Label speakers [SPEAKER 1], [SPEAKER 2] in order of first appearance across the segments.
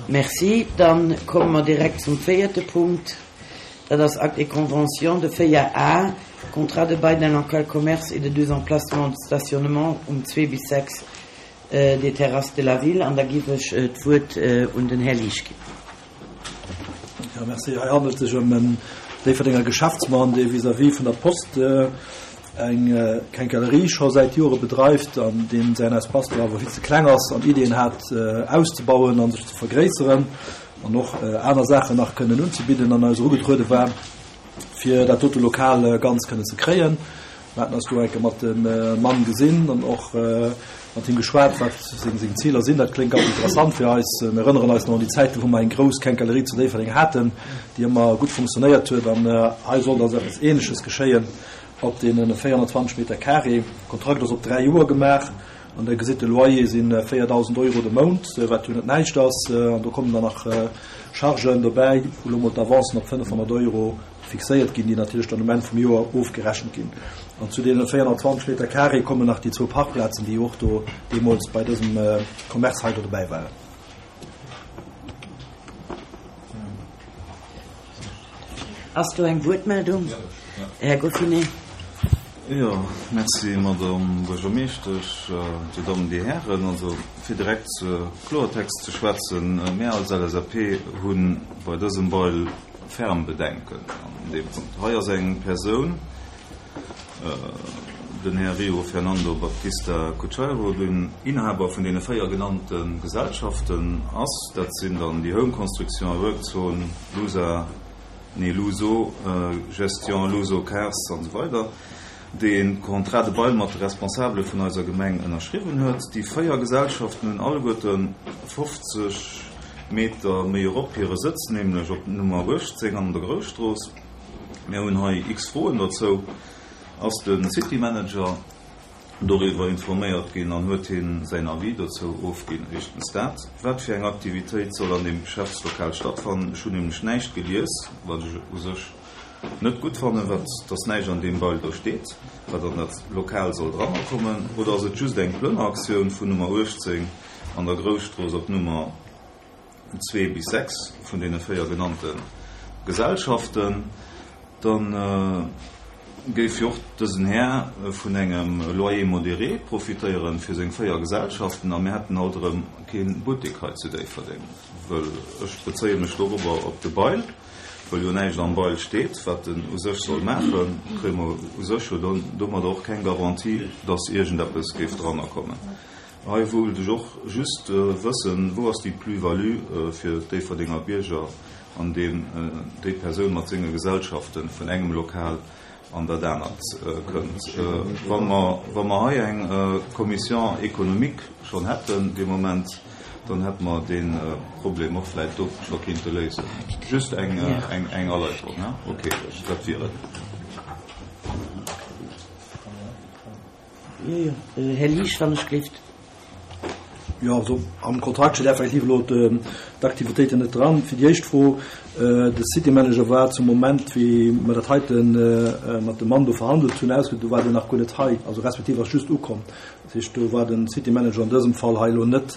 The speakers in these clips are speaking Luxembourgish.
[SPEAKER 1] Merci. Dann komme mer direkt zum véierte Punkt. Dat ass Acte et convention de 4 A, Contrat de bail d'un local commerce et de deux emplacements de stationnement um 2 bis 6 des Terrasses de la Ville. An da giff ech d'Wuert un den Här Liesch ginn.
[SPEAKER 2] Jo, merci. Hei handelt et sech ëm en Déifferdenger Geschäftsmann, dee vis-à-vis vun der Post eng Quincaillerie scho säit Jore bedreift an deem säin Espace do awer vill ze kleng ass an Iddien hat auszebauen a sech ze vergréisseren an och aner Saachen nach kënnen unzebidden an eis erugetruede war, fir dat dote Lokal ganz kënnen ze kréien. Mir haten eis do eng Kéier mat dem Mann gesinn an och mat him geschwat, wat seng seng Ziler sinn. Dat kléngt ganz interessant fir eis. Mir erënneren eis nach un déi Zäiten, wou mer eng grouss Quincaillerie zu Déifferdeng haten, déi ëmmer gutt funktionéiert huet. An hei sollt also eppes Ähnleches geschéien op deene 420 Meter carré. De Kontrakt ass op 3 Joer gemaach an Der gesitt, de Loyer si 4.000 Euro de Mount, wat jo net näischt ass. An do kommen dann nach Chargen dobäi, wou elo mol d'Avancen op 500 Euro fixéiert ginn, déi natierlech dann um Enn vum Joer ofgerechent ginn. An zu deene 420 Meter carré kommen nach déi zwou Parkplazen, déi och do deemools bei dësem Commerce hei do dobäi waren.
[SPEAKER 1] Ass do eng Wuertmeldung? Här Goffinet.
[SPEAKER 3] Jo, merci, Madame Buergermeeschtesch, Dir Dammen, Dir Hären. Also, fir direkt Kloertext ze schwätzen, Mir als LSAP hu bei dësem Bail ferm Bedenken an deem Punkt. Hei ass eng Persoun, den Här Rio Fernando Baptista Cucheiro, den Inhaber vun deene 4 genannte Gesellschaften ass. Dat sinn dann déi Home Construction a Workzone, Lusa, nee Luso Gestion, Luso Cars an esou weider, dee e Contrat de bail mat de Responsabele vun eiser Gemeng ënnerschriwwen huet. Déi 4 Gesellschaften hunn alleguerte 50 Meter méi erop hire Sëtz, nämlech op Nummer 18 an der Grousstrooss. Mir hunn hei x Froen dozou. Ass de City Manager doriwwer informéiert ginn an huet hien säin Avis dozou ofginn? Éischtens dat. Wat fir eng Aktivitéit soll an deem Geschäftslokal stattfannen? Ech hunn nämlech näischt gelies, wat ech u sech net gutt fannen, wat dass näischt an deem Bail do steet, wat an dat Lokal soll dranner kommen. Oder ass et just eng Plënneraktioun vun Nummer 18 an der Grousstrooss op Nummer zwee bis 6 vun deene 4 genannte Gesellschaften, da géif jo och dësen Här vun engem Loyer modéré profitéieren fir seng 4 Gesellschaften a mir hätten alt erëm kee Buttek hei zu Déifferdeng, wëll ech bezéie mech dorobber op de Bail, wëll jo näischt am Bail steet, wat en u sech soll maachen, kréie mer u sech jo domadder och keng Garantie, dass iergendeppes géif dranner kommen. Hei wullt ech och just wëssen, wou ass déi Plus-value fir d'Déifferdenger Bierger, an deem déi Persoun mat senge Gesellschaften vun engem Lokal an dat anert kënnt? Wa mer, wa mer hei eng Commission économique schonn hätten dee Moment, dann hätte mer dee Problem och vläicht do scho kinnte léisen. Just eng, eng Erläuterung, hein? Okay, dat wier et.
[SPEAKER 1] Jo, jo. Här Liesch, wann ech gelift.
[SPEAKER 2] Jo, also am Kontrakt steet effektiv elo d'Aktivitéiten net dran. Fir déi éischt Fro, De City Manager war zum Moment, wéi mer dat heite mat dem Mann do verhandelt hunn, ausge, do war deen nach guer net hei, also respektiv ass just ukomm. Dat heescht, do war de City Manager an dësem Fall hei elo net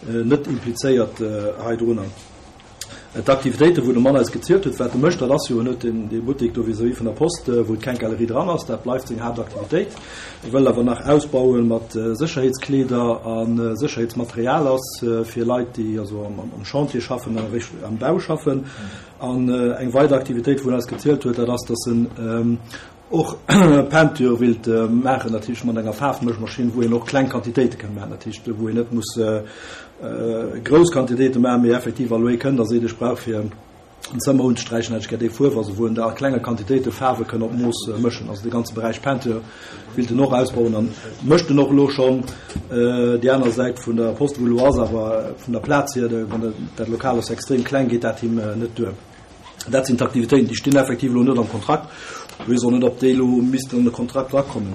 [SPEAKER 2] net implizéiert heidrunner. D'Aktivitéiten, wou de Mann eis gezielt huet, wat e mécht, dat ass jo, en huet dee Buttek do vis-à-vis vun der Post, wou d'Quincaillerie dran ass, dat bleift seng Haaptaktivitéit. E wëll awer nach ausbaue mat Sécherheetskleeder a Sécherheetsmaterial ass fir Leit, déi also am Chantier schaffen an am Bau schaffen. An eng weider Aktivitéit, wou en eis gezielt huet, dat ass, datt en och Peinture willt maachen, dat heescht mat enger Faarfmëschmaschinn, wou een och kleng Quantitéite kann maachen, dat heescht wou een net muss grouss Quantitéite maachen, mee effektiv wa lo ee kënnt a seet ech brauch fir en Zëmmer unzesträichen hätt ech gär déi Fuerf, also wou en da a klenge Quantitéite Faarwe kënn op Mooss mëschen. Also de ganze Beräich Peinture willt en och ausbauen an mécht en och elo schonn. Déi aner Säit vun der Post, wou elo ass, awer vun der Plaz hier, dat Lokal ass extrem kleng, geet dat him net duer. Dat sinn d'Aktivitéiten, déi stinn effektiv elo net am Kontrakt. Ech weess och net, ob déi elo missten an de Kontrakt erakommen.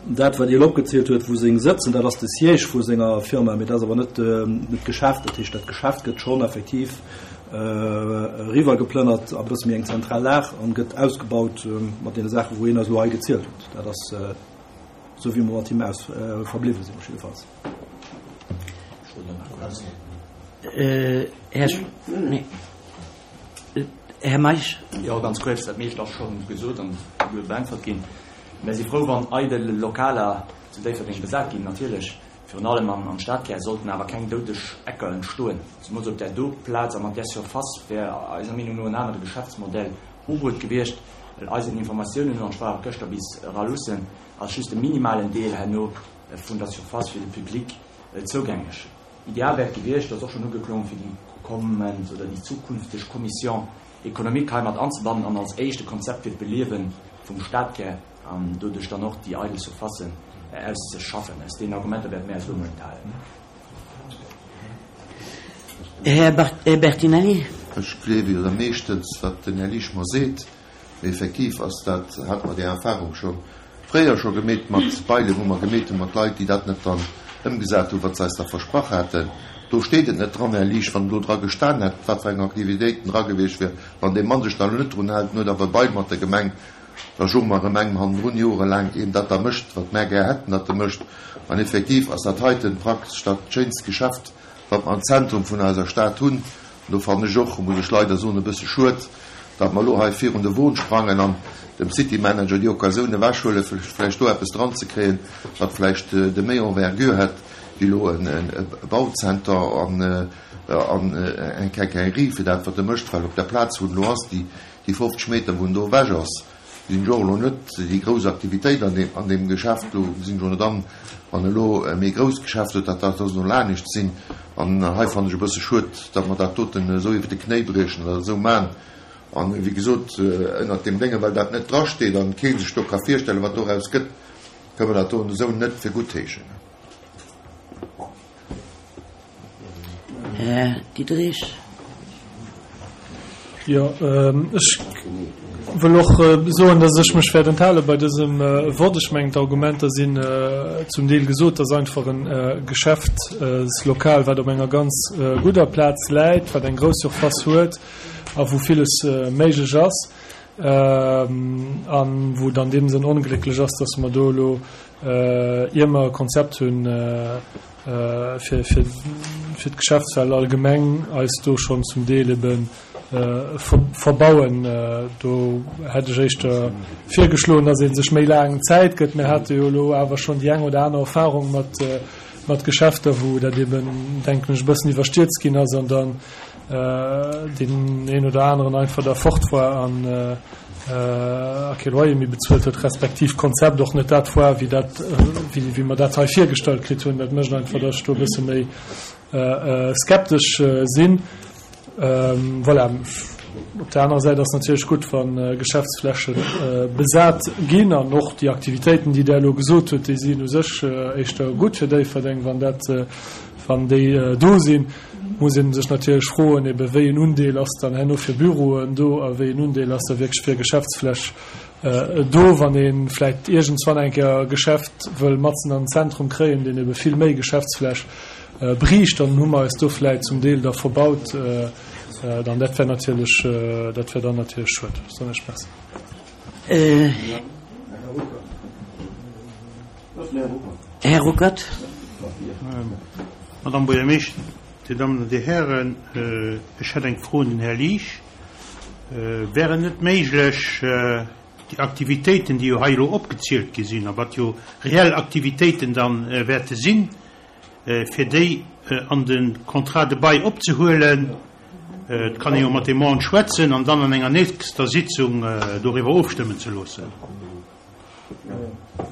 [SPEAKER 2] Dat, wat Dir elo opgezielt huet, wou seng sëtzen, dat ass de Siège vu senger Firma, mee dat ass awer net d'Geschäft. Dat heescht, dat Geschäft gëtt schonn effektiv eriwwergeplënnert a bësse méi eng zentral Lag an gëtt ausgebaut mat deene Saachen, wou hien eis elo hei gezielt huet. Dat ass esou, wéi mer mat him aus verbliwwe sinn, jiddefalls.
[SPEAKER 1] Här, nee, Här Meisch.
[SPEAKER 4] Jo, ganz kuerz, dat meescht ass scho gesot an guer beäntwert ginn. Mär si frou, wann eidel Lokaler zu Déifferdeng besat ginn, natierlech. Virun allem am Stadkär sollten awer keng doudeg Ecker entstoen. Zemools op där do Plaz a mat där Surface wär eiser Meenung no en anere Geschäftsmodell ugeruet gewiescht, well eisen Informatiounen no, an ech war och gëschter bis era luussen, ass just e minimalen Deel herno vun der Surface fir de Public zougänglech. Ideal wär et gewiescht, dat ass och schonn ugeklongen, fir déi kommend oder déi zukünfteg Commission économique hei mat anzebannen an als éischt e Konzept fir d'Beliewe vum Stadkär an doduerch dann och déi eidel Surfacen auszeschaffen. Aus deenen Argumenter wäerte mir eis elo emol enthalen.
[SPEAKER 1] Här Bertinelli.
[SPEAKER 5] Ech gleewe jo da meeschtens, wat den Här Liesch mer seet. Mee effektiv ass dat, hate mer déi Erfahrung scho fréier scho gemeet mat Bailen, wou mer gemeet hu mat Leit, déi dat net dann ëmgesat hunn, wat se eis da versprach haten. Do steet et net dran, Här Liesch, wann do dra gestan hätt, wat fir eng Aktivitéiten dra gewiescht wier. Wann dee Mann sech da elo net drun hält, en huet awer e Bail mat der Gemeng, da soe mer erëm engem hannendrun jorelaang een dat da mécht, wat mär gär hätten, datt e mécht. An effektiv ass dat heiten praktesch dat schéinst Geschäft, wat mer am Zentrum vun eiser Stad hunn. An do fannen ech och, muss ech leider soen, e bësse schued, datt mer elo hei virun de Won sprangen an dem City Manager déi Occasioun ewechhuelen, fir vläicht do eppes dranzekréien, wat vläicht de méi Envergure hätt wéi elo e Bauzenter an eng Quincaillerie fir dat, wat e mécht, well op der Plaz, wou en elo ass, déi 50 Meter, wou en do ewech ass, Sinn ech och elo net déi grouss Aktivitéit an deem, an deem Geschäft. Do gesinn ech och net an, wann elo e méi grousst Geschäft huet, datt dat da soll anescht sinn. An hei fannen ech e bësse schued, datt mer dat doten esou iwwer de Knéi briechen oder esou man. An wéi gesot, ënnert deem Dénge, well dat net drasteet an kee sech do ka virstellen, wat doraus gëtt, kënne mer dat do esou net fir guttheeschen.
[SPEAKER 1] Här Diderich.
[SPEAKER 6] Jo, ech wëll och soen, dass ech mech wäert enthale bei dësem Vott. Ech mengen, d'Argumenter sinn zum Deel gesot. Et ass einfach e Geschäftslokal, wat op enger ganz gudder Plaz läit, wat eng grouss Surface huet a wou villes méiglech ass a wou et an deem Sënn onglécklech ass, dass mer do elo, ier mer e Konzept hunn, fir fir d'Geschäftswelt allgemeng eis do schonn zum Deel ebe verbauen. Do hätt ech éischter virgeschloen, datt ee sech méi laang Zäit gëtt. Mir hate jo elo awer schonn déi eng oder aner Erfahrung mat mat Geschäfter, wou dat eben, denken ech, e bëssen iwwerstierzt ginn ass an dann deen een oder aneren einfach da fort war an a kee Loyer méi bezuelt huet, respektiv d'Konzept och net dat war, wéi dat, wéi mer dat hei virgestallt kritt hunn. Dat mécht einfach, datt ech do e bësse méi skeptesch sinn. Voilà. Op der anerer Säit ass natierlech gutt, wa Geschäftsfläche besat ginn an och déi Aktivitéiten, déi Der elo gesot hutt, déi sinn u sech éischter gutt fir Déifferdeng, wann dat, wann déi do sinn. Muss ee sech natierlech froen, ebe wéi en Undeel ass dann herno fir Büroen do a wéi en Undeel ass da wierklech fir Geschäftsfläch do. Wann ee vläicht iergendswann eng Kéier e Geschäft wëll matzen an den Zentrum kréien, deen ebe vill méi Geschäftsfläch bräicht, dann hu mer eis do vläicht zum Deel da verbaut. Dann dat wär natierlech, dat wär dann natierlech schued. Soen ech Merci.
[SPEAKER 1] Här Ruckert.
[SPEAKER 7] Madame Buergermeeschter, Dir Dammen an Dir Hären, ech hätt eng Fro un den Här Liesch. Wär et net méiglech, déi Aktivitéiten, déi jo hei elo opgezielt gi sinn a wat jo reell Aktivitéiten da wäerte sinn, fir déi an de Contrat de bail opzehuelen? Et kann ee jo mat deem Mann schwätzen an dann an enger nächster Sitzung doriwwer ofstëmmen ze loossen.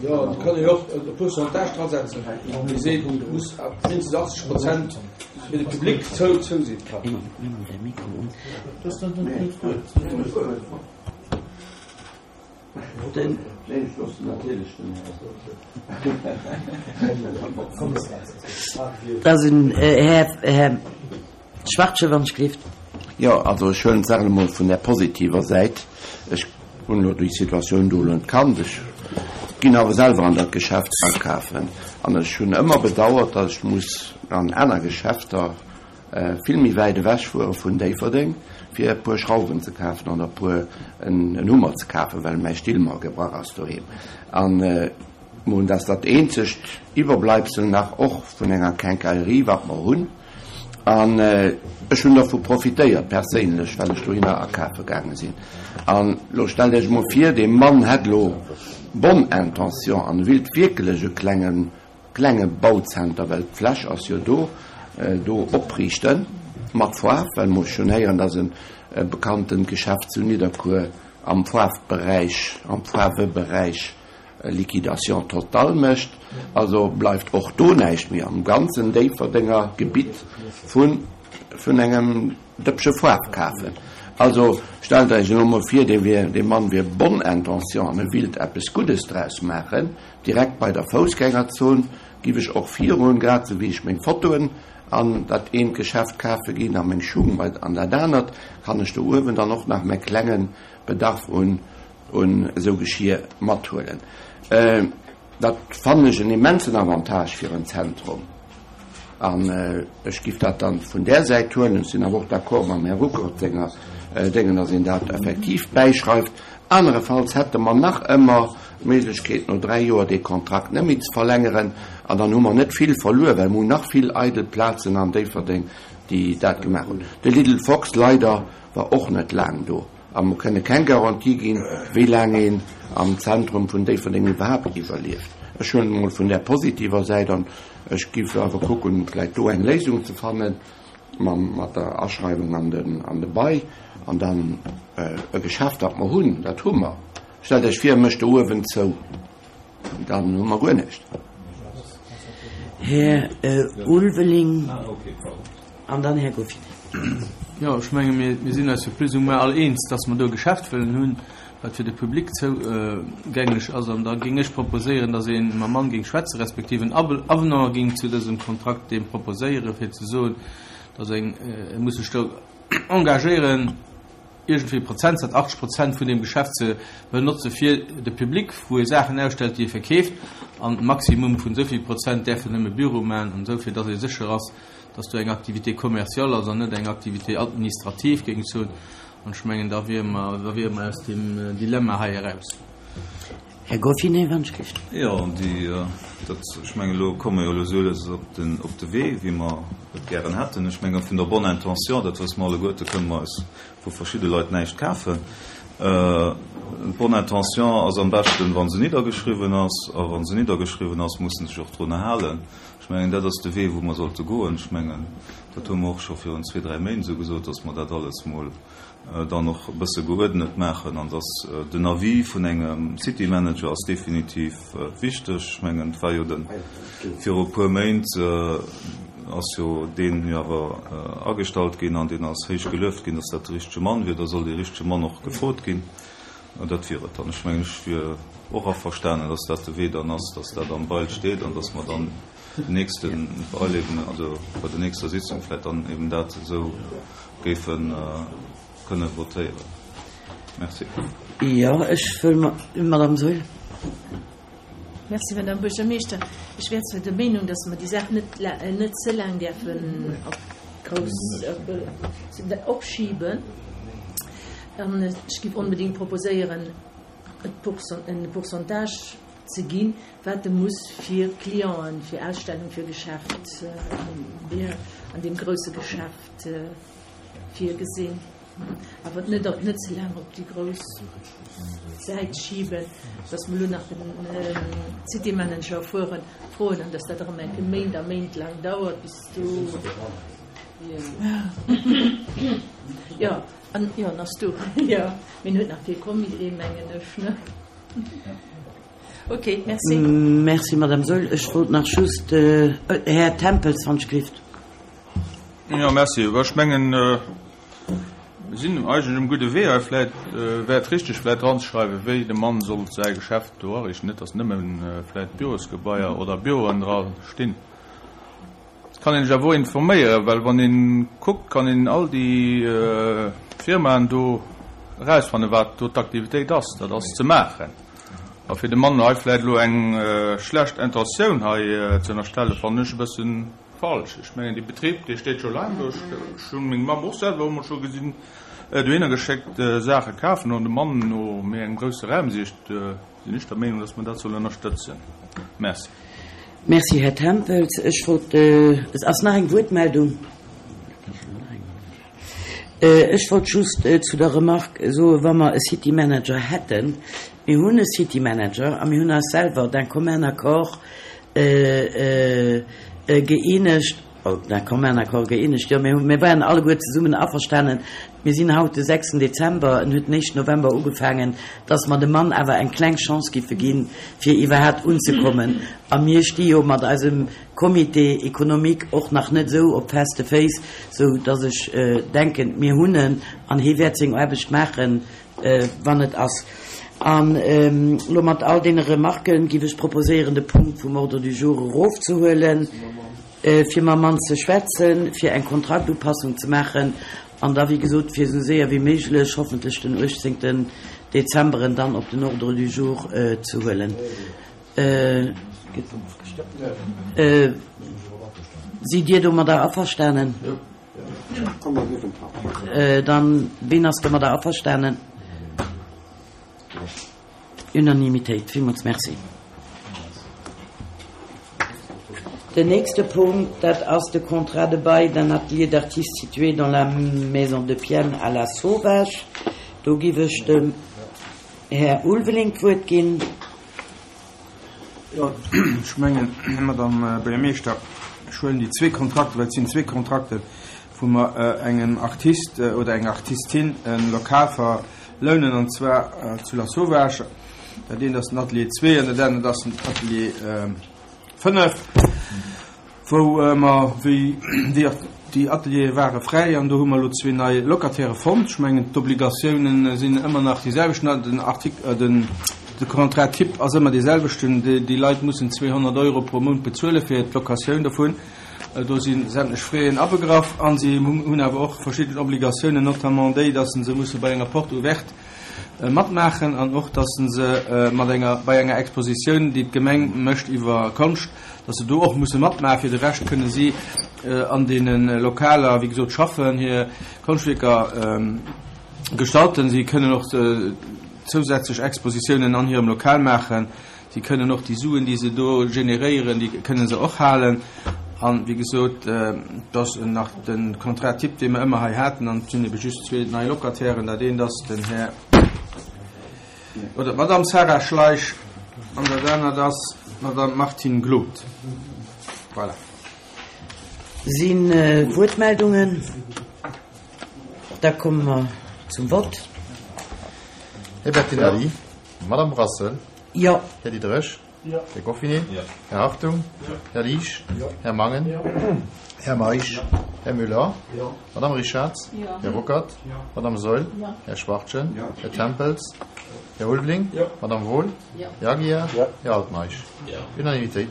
[SPEAKER 8] Jo, et kann ee jo och e Pourcentage dra setzen, wou ee seet, et muss mindestens 80 Prozent fir de Public zou sinn.
[SPEAKER 1] Da sinn Här Schwachtgen, wann ech gleeft.
[SPEAKER 9] Jo, also ech huelen d'Saach elo mol vun där positiver Säit. Ech hunn elo déi Situatioun do elo net kannt. Ech ginn awer selwer an dat Geschäft akafen an ech hunn ëmmer bedauert, datt ech muss an aner Geschäfter vill méi wäit ewech fuere vun Déifferdeng, fir e puer Schrauwen ze kafen oder e puer en Hummer ze kafen, well mäi Still mer gebrach ass doheem. An mir hunn, dat ass dat eenzegt Iwwerbleibsel nach och vun enger Quincaillerie, wat mer hunn. An ech hunn dervu profitéiert perséinlech, well ech dohinner akafe gaange sinn. An elo stellt Iech emol vir, dee Mann hätt elo bonne intention an e willt wierklech e klengen, klenge Bauzenter, well d'Fläch ass jo do, do opriichten, mat Faarf, well mer ech hunn héieren, dass e bekanntent Geschäft zu Nidderkuer am Faarfberäich, am Faarweberäich Liquidation totale mécht. Also bleift och do näischt méi am ganzen Déifferdenger Gebitt vun vun engem Dëppche Faarf kafen. Also stellt Iech elo mol vir, dee wier, dee Mann wier bonne intention an e willt eppes Guddes draus maachen, direkt bei der Foussgängerzon giff ech och virun, grad sou wéi ech meng Fotoen an dat eent Geschäft kafe ginn a meng Schung bei an dat anert, kann ech do uewen dann och nach mäi klenge Bedarf un un esou Geschir mathuelen. Dat fannen ech en immensen Avantage fir en Zentrum. An ech giff dat dann vun där Säit huelen. Ech sinn awer och d'accord mam Här Ruckert senger Déngen, dass een dat effektiv bäischreift. Anerefalls hätte mer nach ëmmer d'Méiglechkeet, no 3 Joer dee Kontrakt net méi ze verlängeren. An dann hu mer net vill verluer, well mer hunn nach vill eidel Plazen an Déifferdeng, déi dat gemaach hunn. De Little Fox leider war och net laang do. A mer kënne keng Garantie ginn, wéi laang een am Zentrum vun Déifferdeng iwwerhaapt iwwerlieft. Ech huelen et emol vun där positiver Säit an ech géif awer kucken, vläicht do eng Léisung ze fanne mat der Aschreiwung an de Bail an dann e Geschäft, dat mer hunn, dat hu mer. Stellt Iech vir, e mécht do uewen zou. Dann hu mer guer näischt.
[SPEAKER 1] Här Ulveling an dann Här Goffinet.
[SPEAKER 10] Jo, ech menge mir sinn eis jo plus ou moins all eens, dass mer do e Geschäft wëllen hunn, wat fir de Public zougänglech ass. An da géing ech proposéieren, dass ee mam Mann géing schwätzen, respektiv en Avenant géing zu dësem Kontrakt deem proposéieren, fir ze soen, dass eng, e muss sech do engagéieren, iergendwéi Prozentsaz, 80 Prozent vun deem Geschäft ze benotze fir de Public, wou e Saachen ausstellt, déi e verkeeft, an Maximum vun esou vill Prozent däerfen nëmme Büro maachen an esou, fir datt ee sécher ass, datt do eng Activité commerciale ass an net eng Activité administrative, géing ech soen. An ech mengen, da wiere mer, da wiere mer aus deem Dilemma hei eraus.
[SPEAKER 1] Här Goffinet, wann ech géif.
[SPEAKER 3] Jo, déi, dat, ech mengen, elo komme mer jo elo esou lues op den, op de Wee, wéi mer et gären hätten. Ech mengen, vun der bonne intention, dat wësse mer alleguerte, kënne mer eis vu verschidde Leit näischt kafen. D'bonne intention ass am beschten, wa se niddergeschriwwen ass. A wa se niddergeschriwwen ass, muss se sech och drunner halen. Ech mengen, dat ass de Wee, wou mer sollte goen. Ech mengen, dat hu mer och scho virun zwee, dräi Méint esou gesot, dass mer dat alles mol dann och e bësse geuerdnet maachen an dass den Avis vun engem City Manager ass definitiv wichteg. Ech mengen, et war jo de viru e puer Méint ass jo deen jo awer agestallt ginn an deen ass héich gelueft ginn, dass dat de richtege Mann wier. Da soll dee richtege Mann och gefrot ginn. Dat wier et dann. Ech mengen, ech wier och averstanen, dass dat de Wee dann ass, dass dat am Bail steet an dass mer dann den nächste Bail eben, also bei der nächster Sitzung vläicht dann eben dat esou géife kënne votéieren. Merci.
[SPEAKER 1] Jo, ech wëll mer, Madame Saeul.
[SPEAKER 11] Merci, Madame Buergermeeschter. Ech wär zwar der Meenung, dass mer déi Saach net, net ze laang däerfen op grouss opschiben. An ech géif onbedéngt proposéieren, e Pourcentage ze ginn, wat e muss fir Clienten, fir Ausstellung, fir Geschäft an deem grousse Geschäft virgesinn, awer net op net ze laang op déi grouss Säit schiben, dass mer elo nach den City Manager fueren, froen an dass dat erëm eng Kéier Méint a Méint laang dauert, bis do, jo, an jo, en ass do, jo, mee en huet nach kee Comité, mengen ech, ne? Ok, merci.
[SPEAKER 1] Merci, Madame Saeul. Ech wollt nach just, Här Tempels, wann ech gelift.
[SPEAKER 12] Jo, merci. Ech mengen, mir sinn eigentlech um gudde Wee hei. Vläit wär et richtig, vläit dranzeschreiwen, wéi de Mann sollt säi Geschäft do ariichten. Net, datt nëmme vläit Bürosgebaier oder Büroen dra stinn. Et kann een sech awer och informéieren, well wann ee kuckt, kann een all déi Firmaen do erausfannen, wat do d'Aktivitéit ass. Dat ass ze maachen. A fir dem Mann hei vläit elo eng schlecht Intentioun hei ze ënnerstellen, fannen ech e bëssen Falsch. Ech mengen, dee Betrib, dee steet scho laang do. Ech hunn meng Mamm och selwer emol scho gesinn, dohinner geschéckt, Saache kafen. An de Mann no méi engem grousse Raum sicht, sinn ech der Meenung, dass mer dat sollen ënnerstëtzen. Merci.
[SPEAKER 1] Merci, Här Tempels. Ech wollt, et ass nach eng Wuertmeldung. Ech wollt just zu der Remarque soen, wa mer e City Manager hätten, mir hunn e City Manager a mir hunn eis selwer d'un commun accord gëeenegt, oh, d'un commun accord gëeenegt, jo, mir hu, mir waren alleguer zesummen averstanen, mir sinn haut de sechsten Dezember, en huet den éischten November ugefaangen, dass mer dem Mann awer eng kleng Chance giffe ginn, fir iwwerhaapt unzekommen. A mir sti jo mat eisem Comité économique och nach net esou op feste Féiss, sou dass ech denken, mir hunn en an hie wäert seng Aarbecht maachen, wann et ass. An elo mat all deene Remarquen giff ech proposéieren, de Punkt vum Ordre du jour erofzehuelen, fir mam Mann ze schwätzen, fir eng Kontraktupassung ze maachen an da, wéi gesot, fir esou séier wéi méiglech, hoffentlech den 18. Dezember, en dann op den Ordre du jour ze huelen. Sidd Dir domadder averstanen? Dann, ween ass domadder averstanen? Unanimitéit. Villmools Merci. Den nächste Punkt, dat ass de Contrat de bail d'un atelier d'artiste situé dans la Maison de Piennes à La Sauvage. Do giff ech dem Här Ulveling d'Wuert ginn.
[SPEAKER 13] Jo, ech mengen, Madame Buergermeeschter, ech huelen déi zwee Kontrakter, well et sinn zwee Kontrakten, wou mer engem Artist oder enger Artistin e Lokal verlounen, an zwar zu Lasauvage. Dat eent ass den Atelier 2 an dat anert ass den Atelier 5. Wou mer, wéi déi, déi Ateliere ware fräi an do hu mer elo zwee nei Locataire fonnt. Ech mengen, d'Obligatiounen sinn ëmmer nach déi selwecht. Den Artikel, den, de Contrat type ass ëmmer dee selwechten. Déi, déi Leit mussen 200 Euro pro Mount bezuele fir d'Locatioun dovun. Do si sämtlech Fräen abegraff a si hunn awer och verschidden Obligatiounen, notamment déi, dass se musse bei enger Porte ouverte matmaachen an och, dass se mat enger, bei enger Expositioun, déi d'Gemeng mécht iwwer Konscht, dass se do och musse matmaachen. Fir de Rescht kënne si an deene Lokaler, wéi gesot, schaffen, hir Konschtwierker gestalten. Si kënnen och zousätzlech Expositiounen an hirem Lokal maachen. Si kënnen och déi Suen, déi se do generéieren, déi kënne se och halen. An, wéi gesot, et ass nach de Contrat type, dee mer ëmmer hei haten. An et sinn ebe just zwee nei Locatairen. Dat eent ass den Här. Oder d'Madame Sarah Schleich an dat anert ass d'Madame Martine Glod. Voilà.
[SPEAKER 1] Si Wuertmeldungen? Da komme mer zum Vott.
[SPEAKER 5] Här Bertinelli, Madame Brassel.
[SPEAKER 1] Jo.
[SPEAKER 5] Här Diderich. Här Goffinet. Här Hartung. Här Liesch. Här Mangen. Här Meisch. Här Müller. Madame Richarz. Här Ruckert. Madame Saeul. Här Schwachtgen. Här Tempels. Här Ulveling. Madame Wohl. Här Aguiar. Här Altmeisch. Unanimitéit.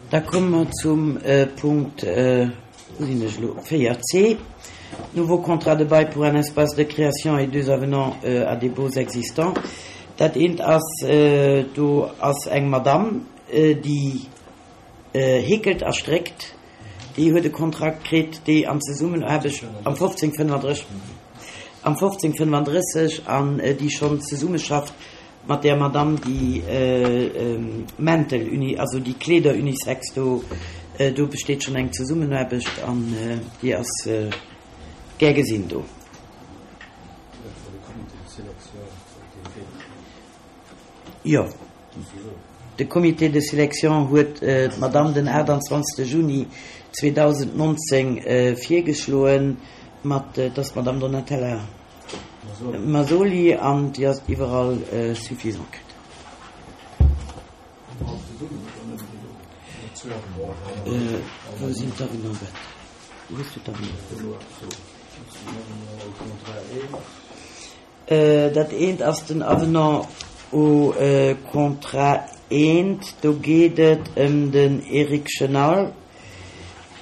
[SPEAKER 1] Da komme mer zum Punkt, wou sinn ech elo, 4c, Nouveau contrat de bail pour un espace de création et deux avenants à des baux existants. Dat eent ass, do ass eng Madamm, déi heekelt a stréckt, déi huet e Kontrakt kritt, déi an Zesummenaarbecht am 1535, am 1535, an déi schonn zesummeschafft mat där Madamm, déi Mäntel uni, also déi Kleeder unisex do, do besteet schonn eng Zesummenaarbecht an déi ass gär gesinn do. Jo, de Comité de sélection huet d'Madamm den 28. Juni 2019 virgeschloen, mat, et ass d'Madamm Donatella Masoli an déi ass iwwerall suffisant kritt. Wou sinn d'Avenants? Wou hues du d'Avenants? Dat eent ass den Avenant au contrat eent. Do geet et ëm den Eric Chenal,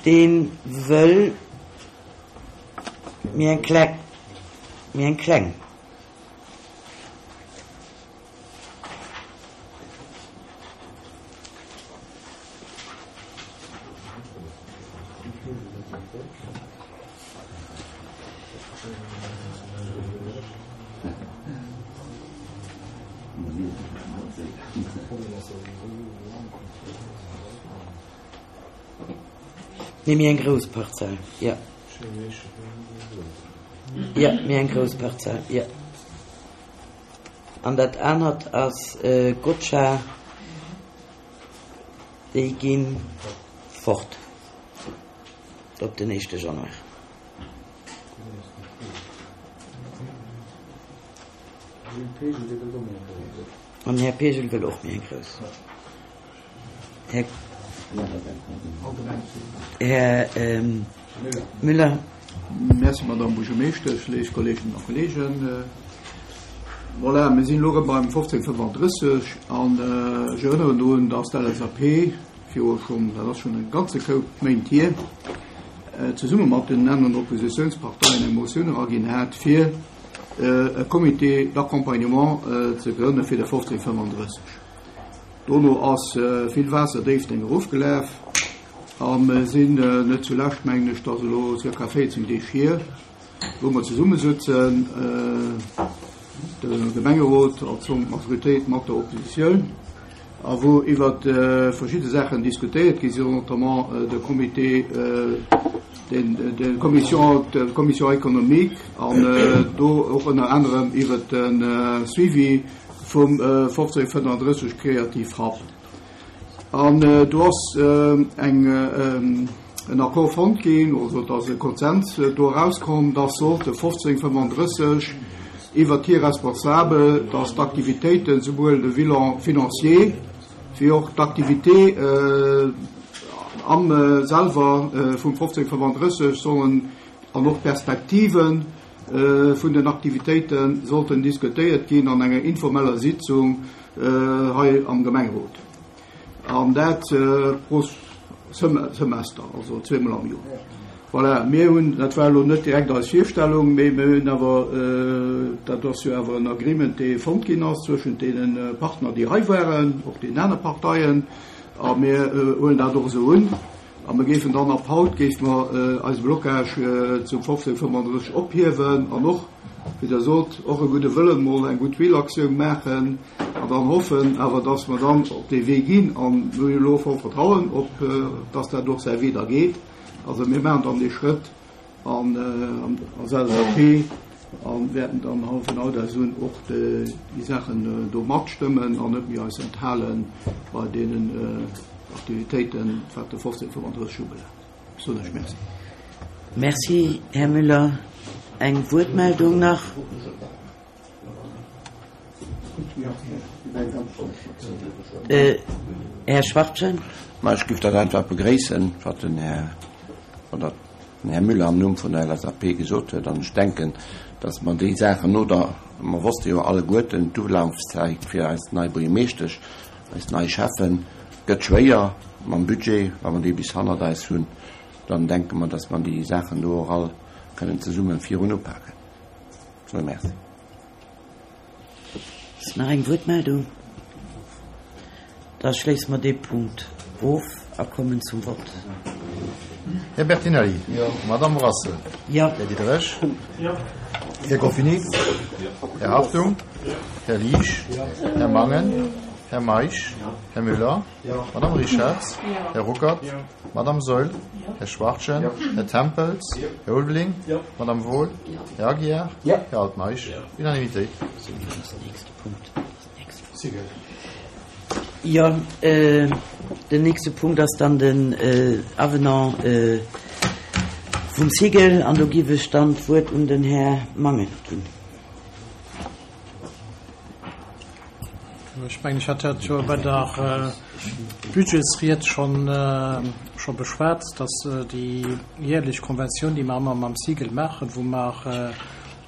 [SPEAKER 1] dee wëll méi eng kleng, méi eng kleng. Nee, méi eng grouss Parzell, jo. Jo, méi eng grouss Parzell, jo. An dat anert ass Gotscha, déi gi fort op den éischte Januar. An Här Pegel wëll och méi eng grouss. Här, Här Müller.
[SPEAKER 14] Merci, Madame Buergermeeschtesch, léif Kolleeginnen a Kolleegen. Voilà, mir sinn elo erëm beim 1535 an ech erënneren drun, dass d'LSAP viru schonn, dat ass schonn e ganze Koup Méint hier, zesumme mat den aneren Oppositionsparteien eng Motioun eraginn hat, fir e Comité d'accompagnement ze grënne fir de 1535. Dono ass vill Waasser Déifferdeng erofgelaf a mer sinn net zulescht, mengen ech, dat ass elo circa 14 Deeg hier, wou mer zesummesëtzen, de Gemengerot als Majoritéit mat der Oppositioun, a wou iwwer verschidde Saachen diskutéiert gi sinn, notamment de Comité, de Commission, d'Commission économique, an do och ënner anerem iwwer de Suivi vum 1535 Creative Hub. An do ass eng, en Accord fonnt ginn, also et ass e Konsens do erauskomm, dass sollt de 1535 iwwert hir Responsabel, dass d'Aktivitéiten, souwuel de Bilan financier wéi och d'Activité am selwer vum 1535 sollen an och d'Perspektive vun den Aktivitéite sollten diskutéiert ginn an enger informeller Sitzung hei am Gemengerot. An dat pro Semester, also zweemol am Joer. Voilà, mir hunn, dat war elo net direkt eis Virstellung, mee mir hunn awer, dat ass jo awer en Agreement, dee fonnt ginn ass zwëschent deene Partner, déi hei waren, och deenen aner Parteien, a mir huelen dat och esou un. A mir géifen dann ab haut, géife mer eise Blocage zum 1535 ophiewen an och, wéi Der sot, och e gudde Wëllen, mol eng Goodwill-Aktioun maachen an dann hoffen awer, dass mer dann op dee Wee ginn. A mir hu jo elo voll Vertrauen op, dass dat och säi Wee da geet. Also mir maachen dann dee Schrëtt an als LSAP a wäerten dann vun haut aus un och déi Saachen do matstëmmen an net méi eis enthale bei deenen Aktivitéiten, wat de 1535 ubelaangt. Ech soen lech Merci.
[SPEAKER 1] Merci, Här Müller. Eng Wuertmeldung nach? Här Schwachtgen.
[SPEAKER 9] Ma ech géif dat einfach begréissen, wat den Här, oder den Här Müller am Numm vun der LSAP gesot huet. An ech denken, dass mer déi Saachen no der, mer wosste jo alleguerten, d'Ulafzäit fir eis nei Buergermeeschtesch, eis nei Schäffen gëtt schwéier mam Budget, wa mer dee bis hannert eis hunn, dann denke mer, dass mer déi Saachen do och all kënnen zesumme virun upaken. Soe Merci.
[SPEAKER 1] Ass nach eng Wuertmeldung? Da schléisse mer dee Punkt of a kommen zum Vott.
[SPEAKER 15] Här Bertinelli. Jo. Madamm Brassel.
[SPEAKER 1] Jo.
[SPEAKER 15] Här Diderich.
[SPEAKER 7] Jo.
[SPEAKER 15] Här Goffini.
[SPEAKER 7] Jo.
[SPEAKER 15] Här Hartung.
[SPEAKER 7] Jo.
[SPEAKER 15] Här Liesch.
[SPEAKER 7] Jo.
[SPEAKER 15] Här Mangen. Här Meisch.
[SPEAKER 7] Jo.
[SPEAKER 15] Här Müller.
[SPEAKER 7] Jo.
[SPEAKER 15] Madamm Richarz.
[SPEAKER 7] Jo.
[SPEAKER 15] Här Ruckert.
[SPEAKER 7] Jo.
[SPEAKER 15] Madamm Saeul.
[SPEAKER 7] Jo.
[SPEAKER 15] Här Schwachtgen.
[SPEAKER 7] Jo.
[SPEAKER 15] Här Tempels.
[SPEAKER 7] Jo.
[SPEAKER 15] Här Ulveling.
[SPEAKER 7] Jo.
[SPEAKER 15] Madamm Wohl.
[SPEAKER 1] Jo.
[SPEAKER 15] Här Aguiar.
[SPEAKER 7] Jo.
[SPEAKER 15] Här Altmeisch.
[SPEAKER 7] Jo.
[SPEAKER 15] Unanimitéit.
[SPEAKER 1] Jo, den nächste Punkt ass dann den Avenant vum Cigl an do giff ech dann d'Wuert un den Här Mangen ginn.
[SPEAKER 16] Ech mengen, ech hat dat jo bei der Budgetsried schonn scho beschwat, dass déi jährlech Konventioun, déi mer ëmmer mam Cigl maachen, wou mer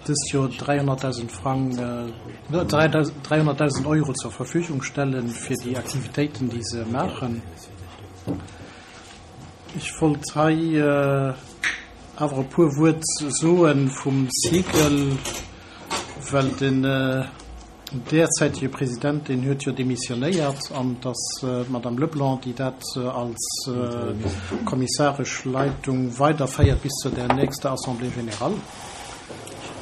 [SPEAKER 16] dëst Joer 300.000 Frang, 300.000 Euro zur Verfügung stelle fir déi Aktivitéiten, déi se maachen. Ech wollt hei awer e puer Wuert soe vum Cigl, well den derzäitege President, deen huet jo demissionéiert an et ass d'Madame Leblanc, déi dat als kommissaresch Leitung weiderféiert bis zu der nächster Assemblée générale.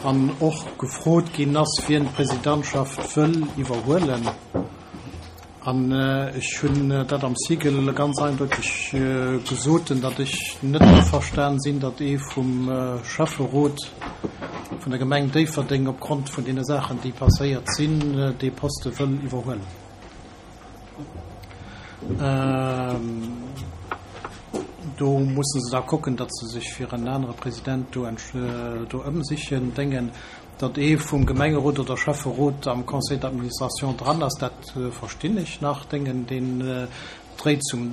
[SPEAKER 16] An och gefrot ginn ass, wien d'Presidentschaft wëll iwwerhuelen. An ech hunn dat am Sigel ganz eindeuteg gesot, datt ech net averstan sinn, datt ee vum Schäfferot vun der Gemeng Déifferdeng opgrond vun deene Saachen, déi passéiert sinn, dee Poste wëll iwwerhuelen. Do musse se da kucken, datt se sech fir en anere President do ëmsichen. Déngen, datt ee vum Gemengerot oder Schäfferot am Conseil d'administration dran ass, dat verstinn ech nach. Déngen, deen dréit zum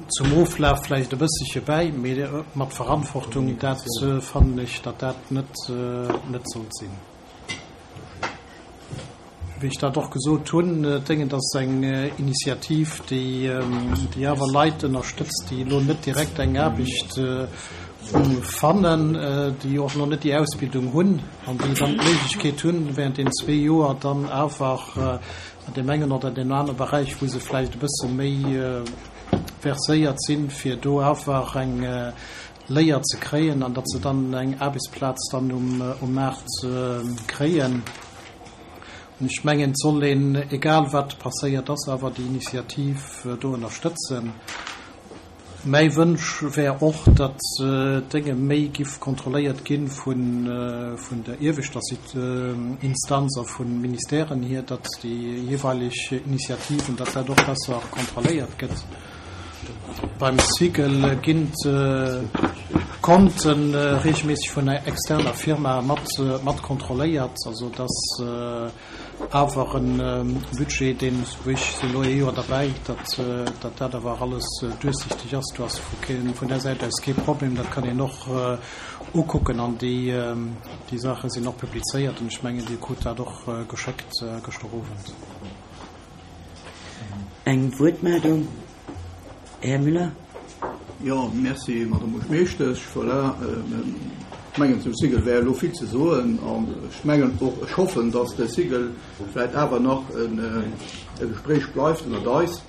[SPEAKER 16] zum Oflaf vläicht e bësselche bäi, mee mat Verantwortung, dat fannen ech, datt dat net net sollt sinn. Wéi ech dat och gesot hunn, Déngen, dat ass eng Initiativ, déi déi awer Leit ënnerstëtzt, déi elo net direkt eng Aarbecht fannen, déi och nach net déi Ausbildung hunn an déi dann d'Méiglechkeet hunn, während deenen zwee Joer dann awer an deem engen oder deem anere Beräich, wou se vläicht e bësse méi verséiert sinn, fir do awer eng Léier ze kréien an datt se dann eng Aarbechtsplaz dann um Maart kréien. An ech mengen, et soll een, egal wat passéiert ass, awer déi Initiativ do ënnerstëtzen. Mäi Wënsch wär och, datt d'Dénge méi giff kontrolléiert gi vun der ieweschter Instanz a vu Ministèren hier, datt déi jeeweileg Initiativen, datt dat och besser kontrolléiert gëtt. Beim Cycle ginn d'Konte reegelméisseg vun enger externer Firma mat kontrolléiert, also et ass awer e Budget, deen, wou ech sinn elo ee Joer derbäi, datt dat awer alles duerchsichteg ass. Do ass vun där Säit aus kee Problem, dat kann een och ukucken an déi Saache sinn och publizéiert an ech mengen, Dir krut dat och geschéckt gëschter Owend.
[SPEAKER 1] Eng Wuertmeldung, Här Müller.
[SPEAKER 14] Jo, merci, Madame Buergermeeschtesch. Voilà, ech mengen, zum Sigel wär elo vill ze soen. An ech mengen och, ech hoffen, dass de Sigel vläicht awer nach e Gespréich bleift ënnert eis,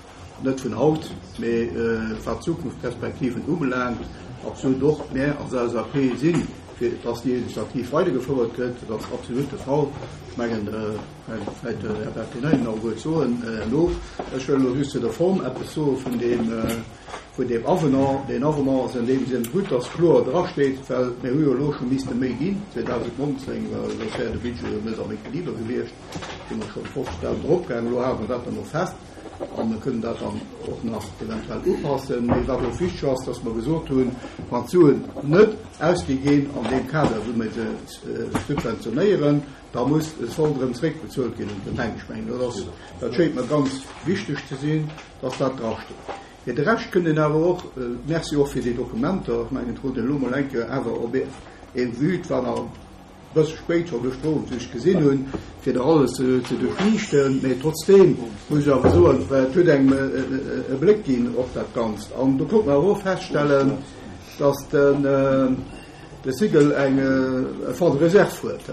[SPEAKER 14] net vun haut, mee wat d'Zukunftsperspektiven ubelaangt. Absolut och mär als LSAP si fir, dass déi Initiativ weidergefouert gëtt. Dat ass absolut de Fall. Ech mengen, Vläicht den Här Bertinelli nach e Wuert soen herno. Ech wëll elo just zu der Form eppes soe vun deem, vun deem Avenant. Deen Avenant ass an deem Sënn gutt, dass kloer drasteet, well mir hu jo elo scho misste méi ginn 2019, well soss wär de Budget jo net am Equiliber gewiescht, si mer scho 50.000 eropgaangen. Elo hale mer dat dann och fest a mir kënnen dat dann och nach eventuell upassen. Mee wat och wichteg ass, dass mer gesot hunn, wann d'Suen net ausgi ginn an deem Kader, wou mir se subventionéieren, Da muss e Solde erëm zréckbezuelt ginn un d'Gemeng. Ech mengen, dat ass, dat schéngt mer ganz wichteg ze sinn, dass dat drasteet. Fir de Rescht kënnt een awer och, Merci och fir déi Dokumenter, ech mengen, et krut een elo mol eng Kéier awer op ee Vue, et war nach e bësse spéit scho gëschter Owend, wéi ech gesinn hunn, fir dat alles ze duerchliichten. Mee trotzdeem muss ech awer soen, well et huet engem e Bléck ginn op dat Ganzt. An do konnt mer awer och feststellen, dass den, De Sigel eng e Fonds de réserve huet.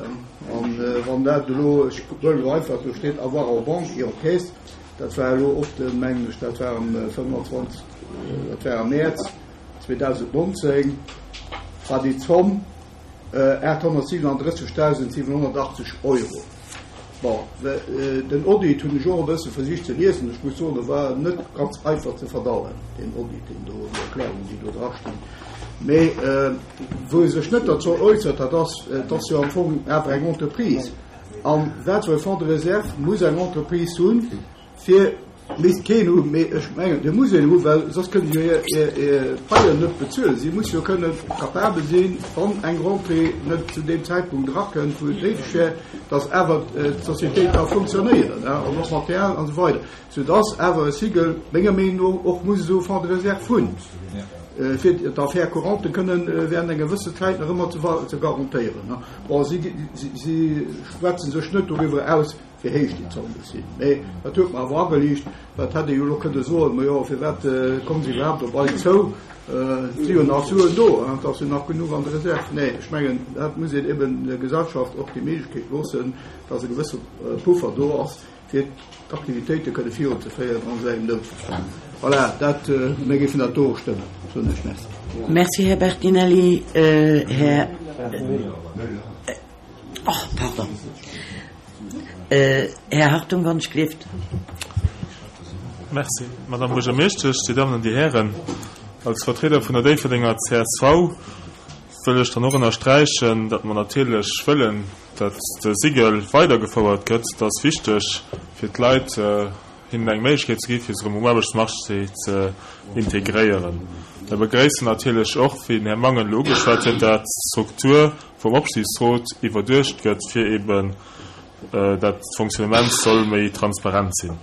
[SPEAKER 14] An wann dat elo, ech huelen elo einfach, do steet avoir en banque et en caisse, dat war elo och de, mengen ech, dat war am 25, dat war am Mäerz 2019, war déi Zomm 837.780 Euro. Bon, den Audit hunn ech och e bësse versicht ze liesen. Ech muss soen, e war net ganz einfach ze verdauen, deen Audit, deen do, déi Erklärungen, déi do drastinn. Mee wou e sech net derzou äussert, dat ass, et ass jo am Fong awer eng Entreprise. A wat fir e Fonds de réserve muss eng Entreprise hunn, fir Misst keen hunn, mee ech mengen, dee muss een hunn, well soss kënne se jo hir Paien net bezuelen. Si muss jo kënne capabel sinn, wann eng Rentrée net zu deem Zäitpunkt erakënnt, wou et néideg wär, datt awer d'Sociétéit ka funktionéieren, an och Material an esou weider, soudatt awer e Sigel menger Meenung no och muss esou e Fonds de réserve hunn, fir d'Affaires courantes kënnen während enger gewëssen Zäit nach ëmmer ze garantéieren. Bon, si schwätze sech net doriwwer aus, wéi héich déi Zomm muss sinn. Mee dat huet mer awer ageliicht, well et hätt ee jo elo kënne soen, Ma jo, firwat komme se iwwerhaapt op eis zou? Et si jo nach Suen do, et ass jo nach genuch an der Reserv. Nee, ech mengen, dat muss een eben der Gesellschaft och déi Méiglechkeet loossen, dass e gewësse Puffer do ass, fir d'Aktivitéite kënne virunzeféieren an esou engem Noutfall. Voilà, dat, mir géifen dat do och stëmmen, soen ech. Merci.
[SPEAKER 1] Merci, Här Bertinelli. Här. Oh, pardon. Här Hartung, wann ech gleeft.
[SPEAKER 17] Merci, Madame Buergermeeschtesch, Dir Dammen an Dir Hären. Als Vertrieder vun der Déifferdenger csv wëll ech dann och ënnersträichen, datt mer natierlech wëllen, datt de SIGEL weidergefouert gëtt. Dat ass wichteg fir d'Leit, hinnen eng Méiglechkeet ze gi fir sech erëm um Aarbechtsmarché ze integréieren. Mir begréissen natierlech och, wéi den Här Mangen elo ugeschwat huet, dat d'Struktur vum Opsichtsrot iwwerduecht gëtt, fir eben dat d'Fonctionnement soll méi transparent sinn.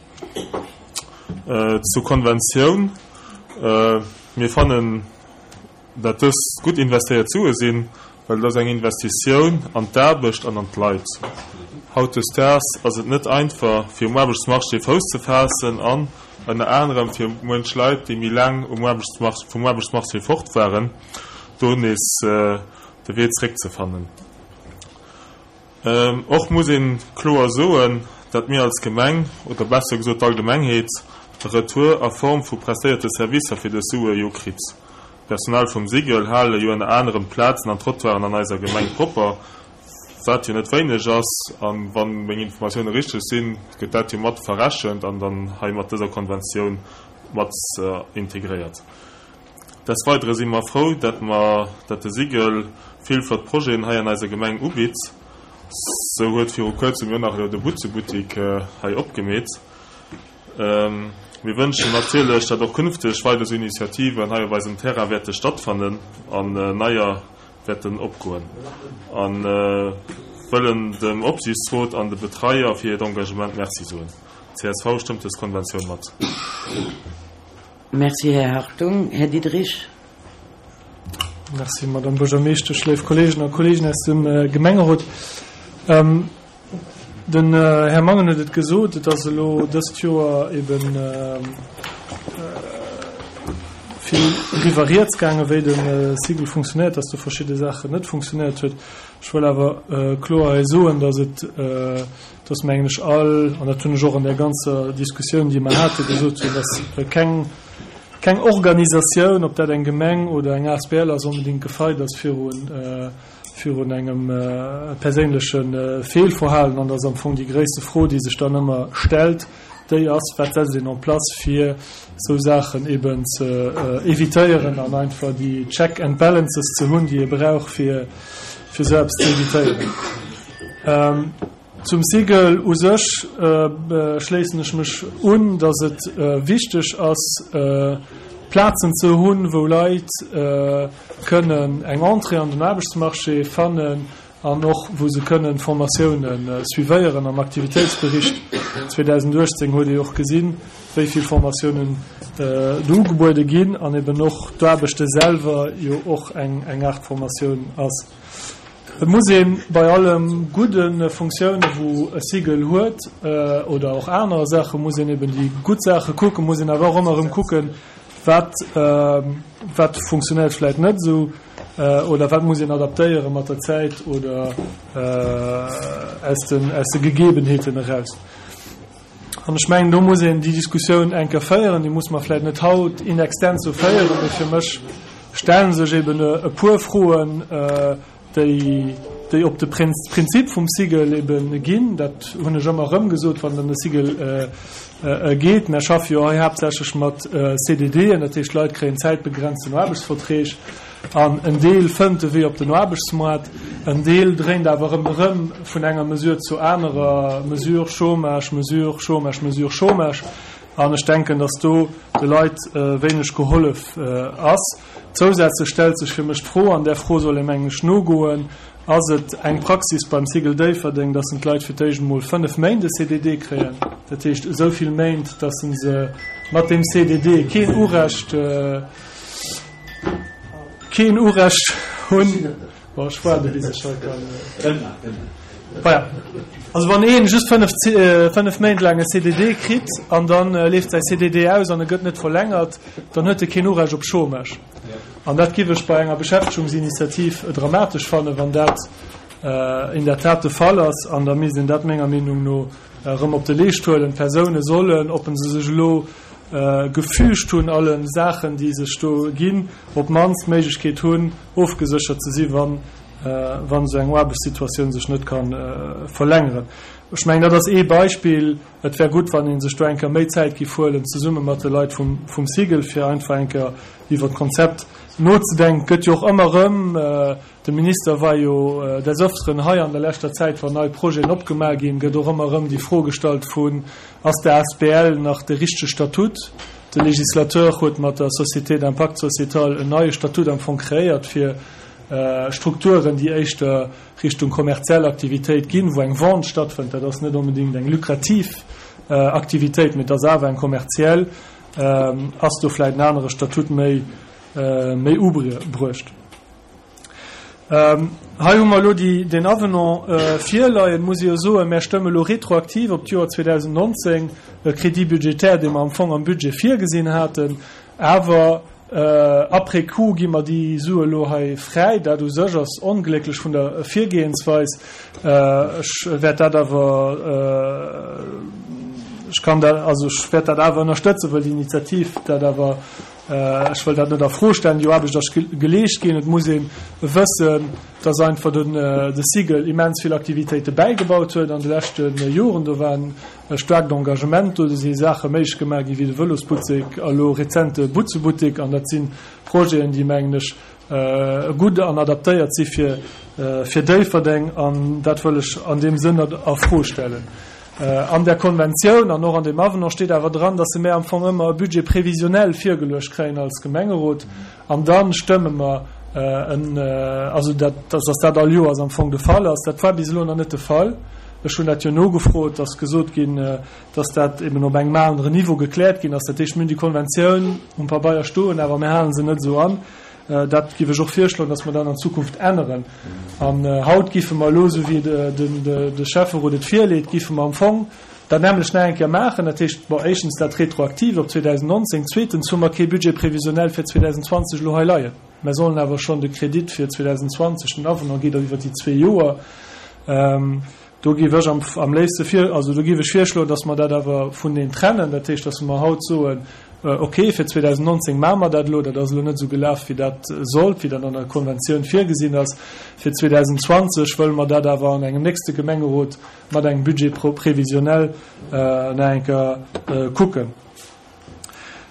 [SPEAKER 17] Zur Konventioun, Mir fannen, dat dës gutt investéiert Sue sinn, well et ass eng Investitioun an d'Aarbecht an an d'Leit. Hautdesdaags ass et net einfach, fir um Aarbechtsmarché Fouss ze faassen an ënner anerem fir muench Leit, déi méi laang um Aarbechtsmarché, vum Aarbechtsmarché fort waren, do nees de Wee zréckzefannen. Och muss een kloer soen, dat mir als Gemeng, oder besser gesot d'Allgemengheet, e Retour a Form vu prestéierte Servicer fir dës Sue jo kritt. D'Personal vum SIGEL hale jo ënner anerem d'Plazen an d'Trottoiren an eiser Gemeng propper, wat jo net wéineg ass, a wann meng Informatioune richteg sinn, gëtt dat jo mat verrechent an dann hei mat dëser Konventioun mat integréiert. Des Weidere si mer frou, dat mer, dat de SIGEL vill flott Projeten hei an eiser Gemeng ubitt. Sou huet viru kuerzem jo nach elo de Butzebuttik hei opgemeet. Mir wënschen natierlech, dat och künfteg weider sou Initiativen hei op eisem Terrain wäerte stattfannen an neier wäerten opgoen. A wëllen dem Opsiichtsrot an de Betreier fir hiert Engagement Merci soen. Csv stëmmt dës Konventioun mat.
[SPEAKER 1] Merci, Här Hartung. Här Diderich.
[SPEAKER 6] Merci, Madame Buergermeeschtesch, léif Kolleegen a Kolleegen aus dem Gemengerot. Den Här Mangen huet et gesot, et ass elo dëst Joer ebe vill driwwer rieds gaangen, wéi de SIGEL funktionéiert, dass do verschidde Saachen net funktionéiert huet. Ech wëll awer kloer hei soen, dass et, dass mengen ech all, an dat hunn ech och an där ganzer Diskussioun, déi mer haten, gesot hunn, dass keng, keng Organisatioun, ob dat eng Gemeng oder eng asbl ass, onbedéngt gefeit ass virun, virun engem perséinleche Feelverhalen. An dass am Fong déi gréisste Fro, déi sech dann ëmmer stellt, déi ass, Wat setzt een en place, fir esou Saachen eben ze évitéieren an einfach déi Check and Balances ze hunn, déi ee brauch, fir, fir esou eppes ze évitéieren. Zum SIGEL u sech schléissen ech mech un, datt et wichteg ass, Plazen ze hunn, wou Leit kënnen eng Entrée an den Aarbechtsmarché fannen an och wou se kënnen Formatioune suivéieren. Am Aktivitéitsbericht 2018 huet ee och gesinn, wéi vill Formatiounen do ugebuede ginn an eben och d'Aarbechte selwer jo och eng Aart Formatioun ass. Et muss ee bei alle gudde Funktioune wou e SIGEL huet oder och aner Saache muss een eben déi gutt Saache kucken, muss een awer och ëmmer erëm kucken, wat wat funktionéiert vläicht net esou oder wat muss een adaptéiere mat der Zäit oder aus den aus de Gegebenheeten eraus. An ech mengen, do muss een déi Diskussioun eng Kéier féieren. Déi muss mer vläicht net haut in extenso féieren, mee fir mech stelle sech eben e puer Froen, déi, déi op de Prinzip vum SIGEL eben ginn. Dat hunn ech ëmmer erëm gesot, wann et ëm de SIGEL geet. Mär schaffe jo hei haaptsächlech mat CDDen, dat heescht, d'Leit kréien zäitbegrenzten Aarbechtsverträg. An en Deel fënnt de Wee op den Aarbechtsmoart, en Deel dréint awer erëm erëm vun enger Mesure zur anerer Mesure, Chômage, Mesure, Chômage, Mesure, Chômage. An ech denken, dass do de Leit wéineg gehollef ass. Zousätzlech stellt sech fir mech d'Fro, an där Fro soll ee mengen ech nogoen, Ass et eng Praxis beim SIGEL Déifferdeng, dass en d'Leit fir d'éischt emol 5 Méint e CDD kréien, dat heescht esou vill Méint, dass en se mat deem CDD keen Urecht, Keen Urecht hunn. Bon, ech waarde bis ech hei kann. Voilà. Also wann een just 5, 5 Méint laang e CDD kritt an dann leeft säi CDD aus an e gëtt net verlängert, dann huet e keen Urecht op Chômage. An dat giff ech bei enger Beschäftegungsinitiativ dramatesch fannen, wann dat in der Tat de Fall ass. An da misst een dat menger Meenung no erëm op de Leescht huelen. D'Persoune sollen, ob se sech elo gefügt hunn, alle Saachen, déi sech do ginn, op d'mannst d'Méiglechkeet hunn, ofgeséchert ze si wann, wann esou eng Aarbechtssituatioun sech net ka verlängeren. Ech mengen, dat ass ee Beispill. Et wär gutt, wann ee sech do eng Kéier méi Zäit giff huelen, zesumme mat de Leit vum, vum Cigl, fir einfach eng Kéier iwwert d'Konzept nozedenken. Et gëtt jo och ëmmer erëm, de Minister war jo des Öfteren hei an der leschter Zäit, wann nei Projeten opgemaach ginn, gëtt och ëmmer erëm déi Fro gestallt vun, Ass der asbl nach de richtege Statut? De Législateur huet mat der Société d'impact sociétal en neie Statut am Fong kreéiert fir Strukturen, déi éischter Richtung kommerziell Aktivitéit ginn, wou eng Vente stattfënnt. Dat ass net onbedéngt eng lukrativ Aktivitéit, mee et ass awer eng kommerziell. Ass do vläicht en anere Statut méi, méi ubruecht? Hei hu mer elo déi, deen Avenant virleien. Muss ech jo soen, mär stëmme elo retroaktiv op d'Joer 2019 e Crédit budgétaire, dee mer am Fong am Budget virgesinn haten. Awer après coup gi mer déi Sue elo hei fräi. Dat u sech ass onglécklech vun der Virgehensweis. Ech wäert dat awer, ech kann dat, also ech wäert dat awer ënnerstëtzen, wëll déi Initiativ dat awer, ech wëll dat net a Fro stellen, déi Aarbecht ass geleescht ginn. Et muss ee wëssen, dass einfach den de Cigl immens vill Aktivitéite bäigebaut huet an de leschte Joren. Do waren E staarkt Engagement, do si Saache méiglech gemaach ginn, wéi de Vëlosbuttek a lo rezent de Butzebuttek. An dat si Projeten, déi, mengen ech, gutt an adaptéiert si fir fir Déifferdeng. An dat wëll ech an deem Sënn net a Fro stellen. An där Konventioun an och an deem Avenant steet awer dran, dass se mär am Fong ëmmer e Budget prévisionnel virgeluecht kréien als Gemengerot. An da stëmme mer en, also dat, dass dat all Joers am Fong de Fall ass. Dat war bis elo nach net de Fall. Ech hunn dat jo nogefrot, ass gesot ginn, dass dat eben op engem aneren Niveau gekläert ginn ass. Dat heescht, mir hunn déi Konventioun um Pabeier stoen, awer mir hale se net esou an. Dat géif ech och virschloen, dass mer dat an Zukunft änneren. An haut géife mer elo, esou wéi de Schäfferot et virleet, géife mer am Fong dat nämmlecht nach eng Kéier maachen. Dat heescht, bon, éischtens dat retroaktiv op 2019, zweetens hu mer kee Budget prévisionnel fir 2020 elo hei leien. Mer sollen awer schonn de Kredit fir 2020, den Avenant geet iwwer déi zwee Joer, do géif ech am, am léifste vir, also do géif ech virschloen, dass mer dat awer vuneen trennen. Dat heescht, dass mer haut soen, okay, fir 2019 maache mer dat elo, dat ass elo net esou gelaf, wéi dat sollt, wéi dat an der Konventioun virgesinn ass. Fir 2020 wëlle mer dat awer an engem nächste Gemengerot mat engem Budget prévisionnel nach eng Kéier kucken.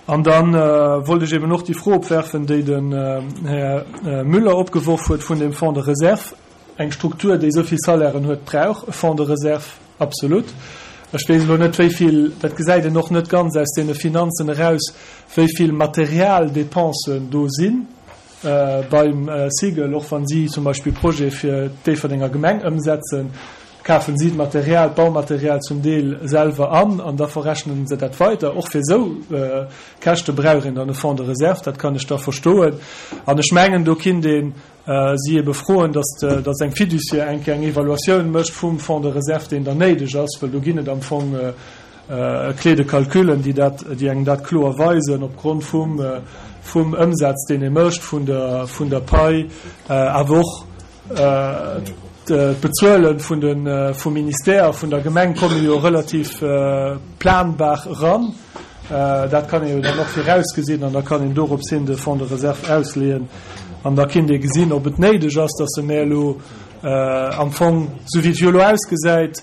[SPEAKER 6] An da wollt ech eben och déi Fro opwerfen, déi den Här Müller opgeworf huet vun dem Fonds de réserve. Eng Struktur, déi esou vill Salairen huet, brauch e Fonds de réserve, absolut. Ech weess elo net, wéi vill, dat gesäit een och net ganz aus deene Finanzen eraus, wéi vill Materialdepensen do sinn. Beim Cigl, och wann si zum Beispill Projete fir d'Déifferdenger Gemeng ëmsetzen, kafen si d'Material, d'Baumaterial zum Deel selwer an an da verrechnen se dat weider. Och fir esou Käschte brauch een dann e Fonds de réserve, dat kann ech da verstoen. An ech mengen, do kinnt ee si ebe froen, datt datt eng Fiduciaire eng Kéier eng Evaluatioun mécht vum Fonds de réserve, deen dann néideg ass, well do ginn et am Fong Clé de calculen, déi dat, déi engem dat kloer weisen opgrond vum, vum Ëmsaz, deen ee mécht, vun der, vun der Pai, awer och d'Bezuele vun de, vum Ministère a vun der Gemeng komme jo relativ planbar eran. Dat kann ee jo dann och virausgesinn an da kann een dorops hin de Fonds de réserve ausleeën an da kinnt ee gesinn, ob et néideg ass, dass se mär elo am Fong, esou wéi et jo elo ausgesäit,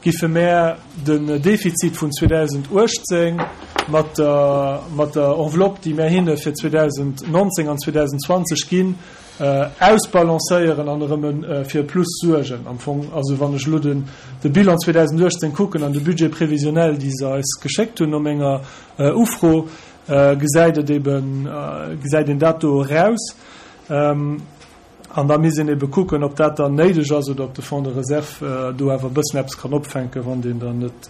[SPEAKER 6] giffe mär den Defizit vun 2018 mat der mat der Enveloppe, déi mär hinne fir 2019 an 2020 ginn, ausbalancéieren an erëm fir e Plus suergen. Am Fong, also wann ech elo den de Bilan 2018 kucken an de Budget prévisionnel, déi se eis geschéckt hunn no menger Ufro, gesäit et eben, gesäit een dat do eraus. An da misst een ebe kucken, ob dat dann néideg ass oder ob de Fonds de réserve do awer e bëssen eppes kann opfänken, wann deen dann net.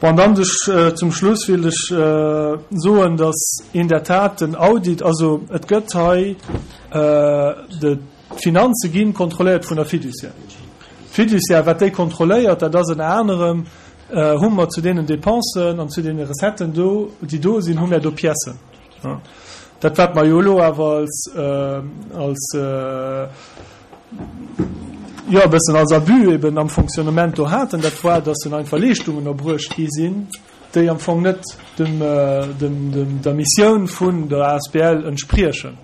[SPEAKER 6] Bon, an dann ech zum Schluss wéilt ech soen, dass in der Tat den Audit, also et gëtt hei, d'Finanze gi kontrolléiert vun der Fiduciaire. D'Fiduciaire, wat déi kontrolléiert, dat ass ënner anerem, hu mer zu deenen Dépensen an zu deene Recetten do, déi do sinn, hu mer do Piècen. Dat wat mer jo elo awer als, als, jo e bëssen als Abus eben am Fonctionnement do haten, dat war, dass en einfach Leeschtungen erbruecht gi sinn, déi am Fong net dem, dem, dem, der Missioun vun der asbl entspriechen.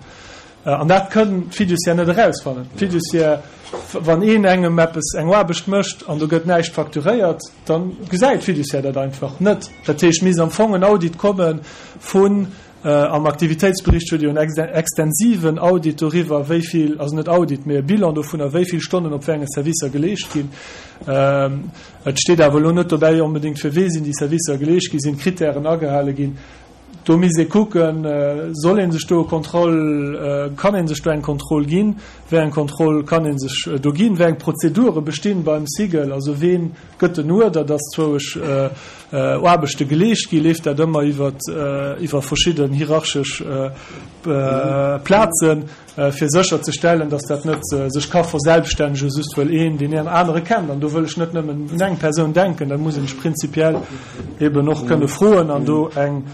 [SPEAKER 6] An dat kënn d'Fiduciaire net erausfannen. D'Fiduciaire, wann een engem eppes, eng Aarbecht mécht an do gëtt näischt facturéiert, da gesäit d'Fiduciaire dat einfach net. Dat heescht, misst am Fong en Audit komme vun, am Aktivitéitsbericht huet Dir jo en extensiven Audit doriwwer, wéi vill, also net Audit, mee e Bilan dovunner, wéi vill Stonnen op wéi enge Servicer geleescht ginn. Et steet awer elo net dobäi onbedéngt, fir wee sinn déi Servicer geleescht ginn, sinn d'Kritären agehale ginn. Do misst ee kucken, soll ee sech do e Contrôle, kann ee sech do eng Kontroll ginn, wéi eng Kontroll kann ee sech do ginn, wéi eng Prozedure bestinn beim SIGEL, also ween gëtt den Uerder, dass zwouesch Aarbechte geleescht ginn, leeft dat ëmmer iwwer iwwer verschidden hierarchesch Plazen, fir sécher ze stellen, dass dat net sech ka verselbststännegen, just wëll een deen anere kennt. An do wëll ech net nëmmen un eng Persoun denken, dat muss een sech prinzipiell eben och kënne froen an do eng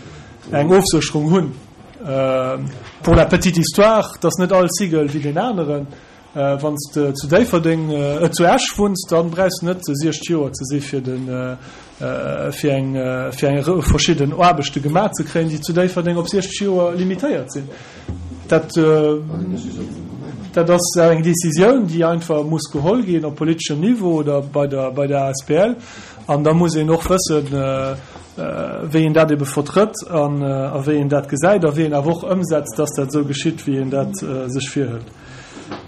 [SPEAKER 6] eng Ofsécherung hunn. Pour la petite histoire, et ass net all SIGEL wéi deen aneren. Wann s de zu Déifferdeng, zu Esch wunns, da brauchs de net 60 Joer ze si fir de fir eng fir eng verschidden Aarbechte gemaach ze kréien, déi zu Déifferdeng op 60 Joer limitéiert sinn. Dat dat ass eng Décisioun, déi einfach muss geholl ginn op politeschem Niveau oder bei der bei der Asbl. An da muss een och wëssen, wéi een dat ebe vertrëtt an a wéi een dat gesäit a wéi een awer och ëmsetzt, dass dat esou geschitt, wéi een dat sech virhëlt.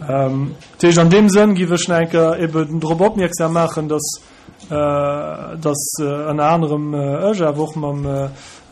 [SPEAKER 6] Dat heescht, an deem Sënn géif ech nach eng Kéier eben drop opmierksam maachen, dass dass ënner anerem ech, awer och mam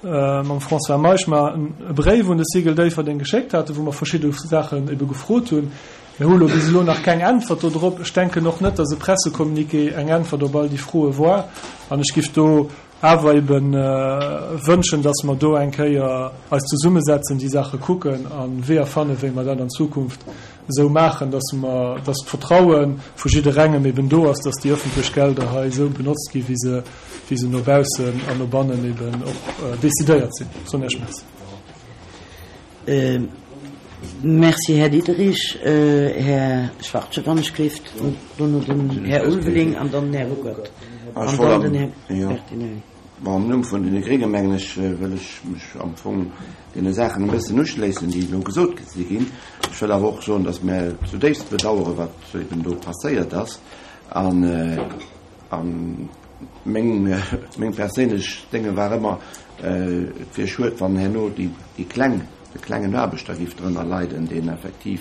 [SPEAKER 6] mam François Meisch mer e Bréif un de Cigl Déifferdeng geschéckt haten, wou mer verschidde Saachen ebe gefrot hunn. Mir hu lo bis elo nach keng Äntwert do drop. Ech denken och net, dass e Pressecommuniqué eng Äntwert op all déi Froe war. An ech giff do awer ebe wënschen, dass mer do eng Kéier eis zesummesetzen, déi Saache kucken a Weeër fannen, wéi mer dat an Zukunft esou maachen, dass mer, dass d'Vertraue vu jidderengem eben do ass, dass déi öffentlech Gelder hei esou benotzt gi wéi se, wéi se no baussen an no bannen eben och decidéiert sinn. Soen Iech Merci.
[SPEAKER 1] Merci, Här Diderich. Här Schwachtgen, wann ech gleeft, dono den Här Ulveling an dann den Här Ruckert an dann den Här Bertinelli.
[SPEAKER 9] Bon, am Numm vun deene Grénge mengen ech, wëll ech mech am Fong deene Saachen e bëssen uschléissen, déi elo gesot si ginn. Ech wëll awer och soen, dass mär zudéifst bedauere wat eben do passéiert ass. An meng, meng perséinlech Dénge war ëmmer, et wier schued, wann herno déi, déi kleng, de klengen Aarbechter géif drënner leiden, deen effektiv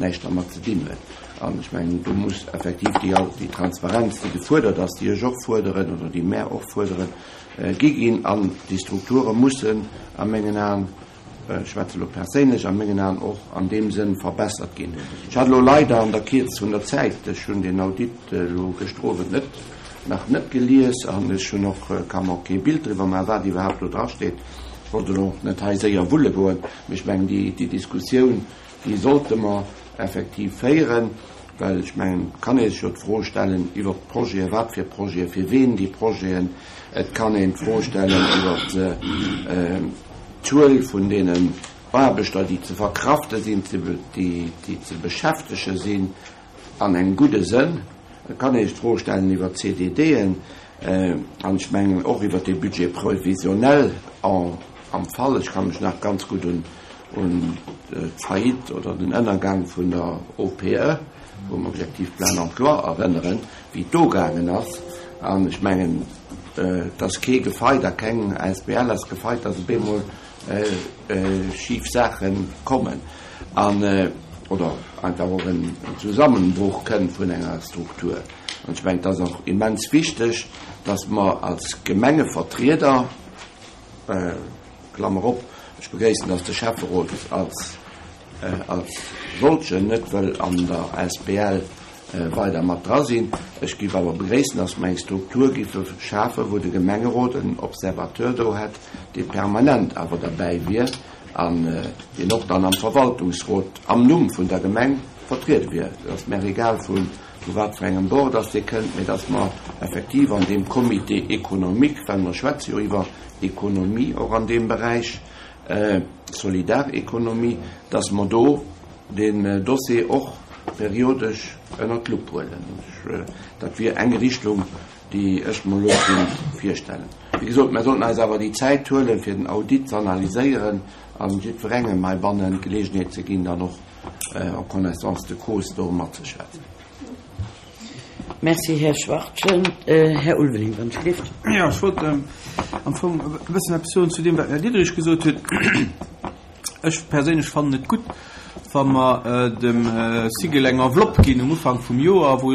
[SPEAKER 9] näischt dermat ze dinn huet. An ech mengen, do muss effektiv déi, déi Transparenz, déi gefuerdert ass, déi ech och fuerderen oder déi mär och fuerderen, gi ginn. An déi Strukture mussen a mengen Aen, ech schwätze elo perséinlech, a mengen Aen och an deem Sënn verbessert ginn. Ech hat elo leider an der Kierzt vun der Zäit, ech hunn deen Audit elo gëschter Owend net, nach net gelies an ech hunn och, ka mer och kee Bild driwwer maachen, wat iwwerhaapt do drasteet. Ech wollt elo och net hei séier wulle goen, mee ech mengen, déi, déi Diskussioun, déi sollte mer effektiv féieren, well ech mengen, et kann ee sech jo d'Fro stellen iwwert d'Projeten, wat fir Projeten, fir ween déi Projeten. Et kann een d'Fro stellen iwwert d'Zuel vun deenen Aarbechter, déi ze verkrafte sinn, déi ze beschäftege sinn an engem gudde Sënn. Et kann ee sech d'Fro stellen iwwert d'CDDen an ech mengen och iwwert de Budget prévisionnel am Fall. Ech ka mech nach ganz gutt un d'Faillite oder den Ënnergang vun der OPE, vum Objectif plein emploi, erënneren, wéi et do gaangen ass. An ech mengen, et ass kee gefeit a keng asbl ass gefeit, datt op eemol schif Saache kommen an oder einfach och en Zusammenbruch kënnt vun enger Struktur. An ech mengen, et ass och immens wichteg, datt mer als Gemengevertrieder, Klammer op, ech begréissen, datt de Schäfferot als als solchen net wëll an der asbl weider mat dra sinn. Ech géif awer begréissen, datt mer eng Struktur géife schafen, wou de Gemengerot en Observateur do hätt, dee permanent awer derbäi wier an deen och dann am Verwaltungsrot am Numm vun der Gemeng vertriede wier. Et ass mär egal vu wat fir engem Bord datt dee kënnt, mee datt mer effektiv an deem Comité économique, well mer schwätze jo iwwer Ekonomie och an deem Beräich, Solidarekonomie, dass mer do deen Dossier och periodesch ënnert d'Lupp huelen. Dat wier eng Richtung, déi ech mer elo kéint virstellen. Wéi gesot, mer sollten eis awer déi Zäit huelen, fir den Audit ze analyséieren a jiddwerengem heibannen d'Geleegenheet ze ginn, dann och. En connaissance de cause do matzeschwätzen.
[SPEAKER 1] Merci, Här Schwachtgen. Här Ulveling, wann ech gelift.
[SPEAKER 13] Jo, ech wollt am Fong e bëssen eppes soen zu deem, wat den Här Diderich gesot huet. Ech perséinlech fannen et gutt, wa mer dem SIGEL eng Enveloppe ginn um Ufank vum Joer, wou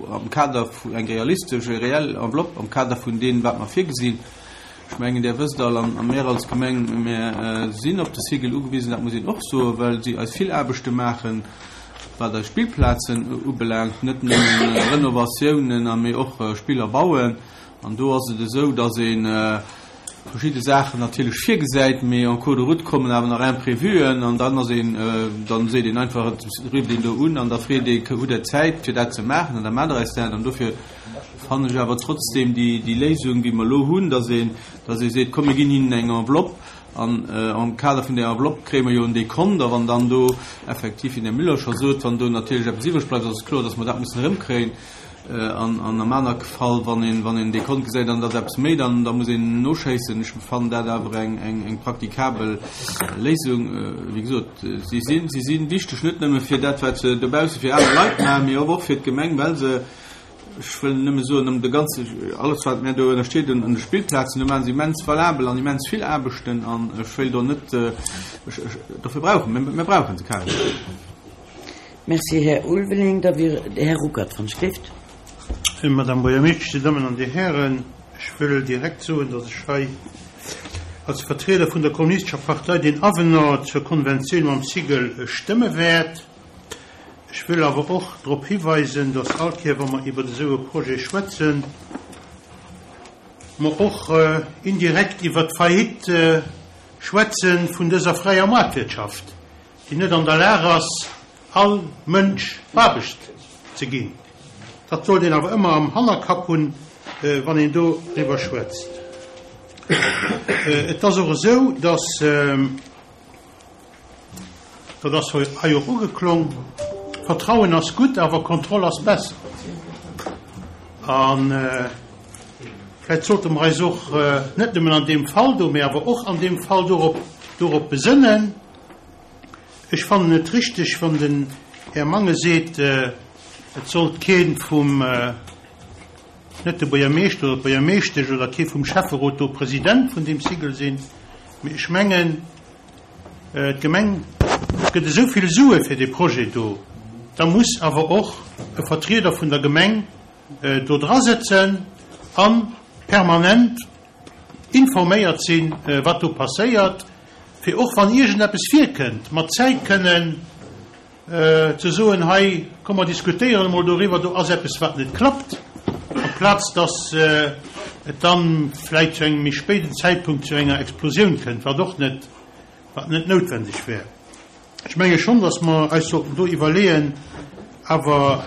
[SPEAKER 13] am Kader vun, eng realistesch, e reell Enveloppe am Kader vun deem, wat mer virgesinn. Ech mengen, Där wësst all, an mär als Gemeng, mär sinn op de SIGEL ugewisen, dat muss een och soen, well si eis vill Aarbechte maachen, wat eis Spillplazen ubelaangt, net nëmmen Renovatiounen, a mee och Spiller bauen. An do ass et esou, datt ee verschidde Saachen natierlech virgesäit, mee en cours de route kommen awer nach Imprévuen an dann ass een, dann seet een einfach, et rifft een do un an da freet ee, hutt Der Zäit fir dat ze maachen an da maacht Der eis dat. An dofir fannen ech awer trotzdem déi, déi Léisung, wéi mer elo hunn, datt een, datt ee seet, komm mir ginn hinnen eng Enveloppe an am Kader vun där Enveloppe kréie mer jo en Dekont a wann dann do effektiv, wéi den Här Müller scho sot, wann do natierlech eppes iwwreg bleift, ass et kloer, datt mer dat mussen erëmkréien. An am aner Fall, wann een, wann een Dekont gesäit an et ass eppes méi, dann, da muss een noschéissen. Ech fannen dat awer eng, eng, eng praktikabel Léisung. Wéi gesot, si sinn, si si wichteg, net nëmme fir dat, wat se dobausse fir aner Leit maachen, mee och fir d'Gemeng, well se, ech wëll nëmme soen, ëm de ganze, alles wat mär do ënnersteet un de Spillplazen, do maachen se immens valabel an immens vill Aarbechten an ech wéilt do net, ech, ech, dofir brauchen, mir, mir brauchen se carrément.
[SPEAKER 1] Merci, Här Ulveling. Da wier de Här Ruckert, wann ech gelift.
[SPEAKER 7] Madame Buergermeeschtesch, Dir Dammen an Dir Hären, ech wëll direkt soen, datt ech hei als Vertrieder vun der Kommunistescher Partei deen Avenant zur Konventioun mam SIGEL stëmme wäert. Ech wëll awer och drop hiweisen, datt all Kéier, wa mer iwwer esou e Projet schwätzen, mer och indirekt iwwer d'Faillite schwätze vun dëser fräier Maartwirtschaft, déi net an der Lag ass, all Mënsch Aarbecht ze ginn. Dat sollt een awer ëmmer am Hannerkapp hunn, wann een doriwwer schwätzt. Et ass och esou, dass, dat ass hei och ugeklong, Vertrauen ass gutt, awer Kontroll ass besser. A vläicht sollte mer eis och net nëmmen an deem Fall do, mä awer och an deem Fall dorop besënnen, Ech fannen et richteg, wann den Här Mangen seet, et sollt kee vum, net de Buergermeeschter oder d'Buergermeeschtesch oder kee vum Schäfferot do President vun deem SIGEL sinn. Mee ech mengen, d'Gemeng gëtt esou vill Sue fir dee Projet do, da muss awer och e Vertrieder vun der Gemeng do dra sëtzen a permanent informéiert sinn, wat do passéiert, fir och wann iergendeppes virkënnt, mat Zäit kënnen ze soen, hei, komm mer diskutéieren emol doriwwer, do ass eppes wat net klappt, amplaz datt et dann vläicht zu engem méi spéiden Zäitpunkt zu enger Explosioun kënnt, wat och net, wat net noutwendeg wär. Ech menge schonn, datt mer eis sollten do iwwerleeën awer,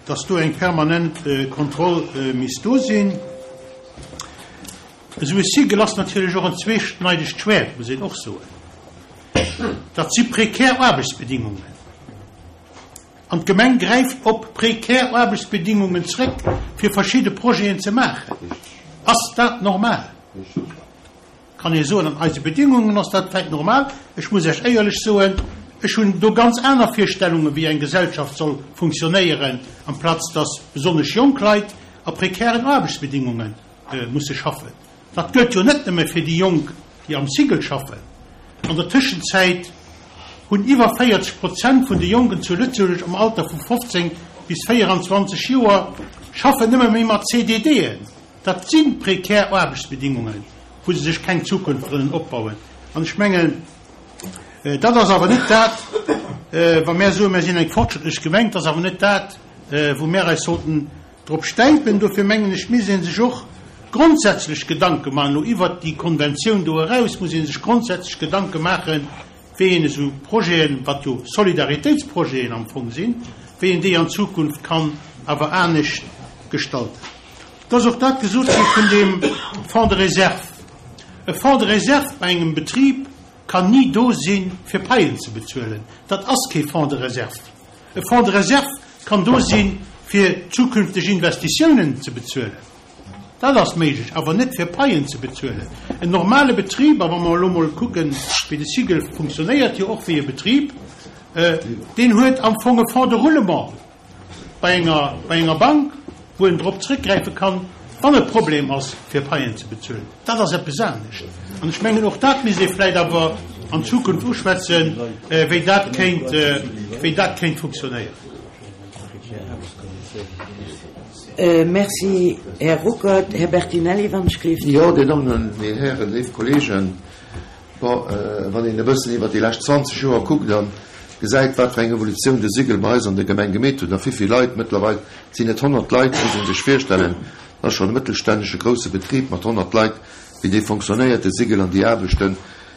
[SPEAKER 7] datt do eng permanent Kontroll misst do sinn. Esou e Sigel ass natierlech och en zweeschneidegt Schwäert, muss een och soen. Dat si prekär Aarbechtsbedingungen. An d'Gemeng gräift op prekär Aarbechtsbedingungen zréck, fir verschidde Projeten ze maachen. Ass dat normal? Kann ee soen, an eise Bedingungen ass dat vläicht normal. Ech muss Iech éierlech soen, ech hunn do ganz aner Virstellungen, wéi eng Gesellschaft soll funktionéieren, amplaz dass besonnesch jonk Leit a prekären Aarbechtsbedingunge musse schaffen. Dat gëllt jo net nëmme fir déi Jonk, déi am SIGEL schaffen. An der Tëschenzäit hunn iwwer 40 Prozent vun de Jonken zu Lëtzebuerg am Alter vu 15 bis 24 Joer schaffen nëmme méi mat CDDen. Dat si prekär Aarbechtsbedingungen, wou se sech keng Zukunft wëllen opbauen. An ech mengen, dat ass awer net dat, wa mär soen, mär sinn eng fortschrëttlech Gemeng, dat ass awer net dat, wou mär eis sollten drop stäipen. Dofir mengen ech, misst ee sech och grondsätzlech Gedanke maachen, elo iwwert déi Konventioun do eraus muss ee sech grondsätzlech Gedanke maachen, wéi een esou Projeten, wat jo Solidaritéitsprojeten am Fong sinn, wéi een déi an Zukunft kann awer anescht gestalten. Et ass och dat gesot gi vun deem Fonds de réserve. E Fonds de réserve bei engem Betrib kann ni do si fir Paien ze bezuelen. Dat ass kee Fonds de réserve. E Fonds de réserve kann do si fir zukünfteg Investitiounen ze bezuelen. Dat ass méiglech, awer net fir Paien ze bezuelen. En normale Betrib, a wa mer elo mol kucken, wéi de SIGEL funktionéiert, jo och wéi e Betrib. Deen huet am Fong e Fonds de roulement bei enger, bei enger Bank, wou en drop zrëckgräife kann, wann e Problem ass, fir Paien ze bezuelen. Dat ass eppes anescht. An ech mengen, och dat misst ee vläicht awer an Zukunft uschwätzen, wéi dat kéint, wéi dat kéint funktionéieren.
[SPEAKER 1] Merci, Här Ruckert. Här Bertinelli, wann ech gleeft.
[SPEAKER 5] Jo, Dir Dammen an Dir Hären, léif Kolleegen, bon, wann een e bëssen iwwert déi lescht 20 Joer kuckt a gesäit, wat fir eng Evolutioun de Sigel bei eis an der Gemeng gemeet huet a wéivill Leit, mëttlerweil sinn et 100 Leit, muss ee sech virstellen, dat ass schonn e mëttelstännege grousse Betrib mat 100 Leit, wéi dee fonctionnéiert, de Sigel, an déi Aarbechten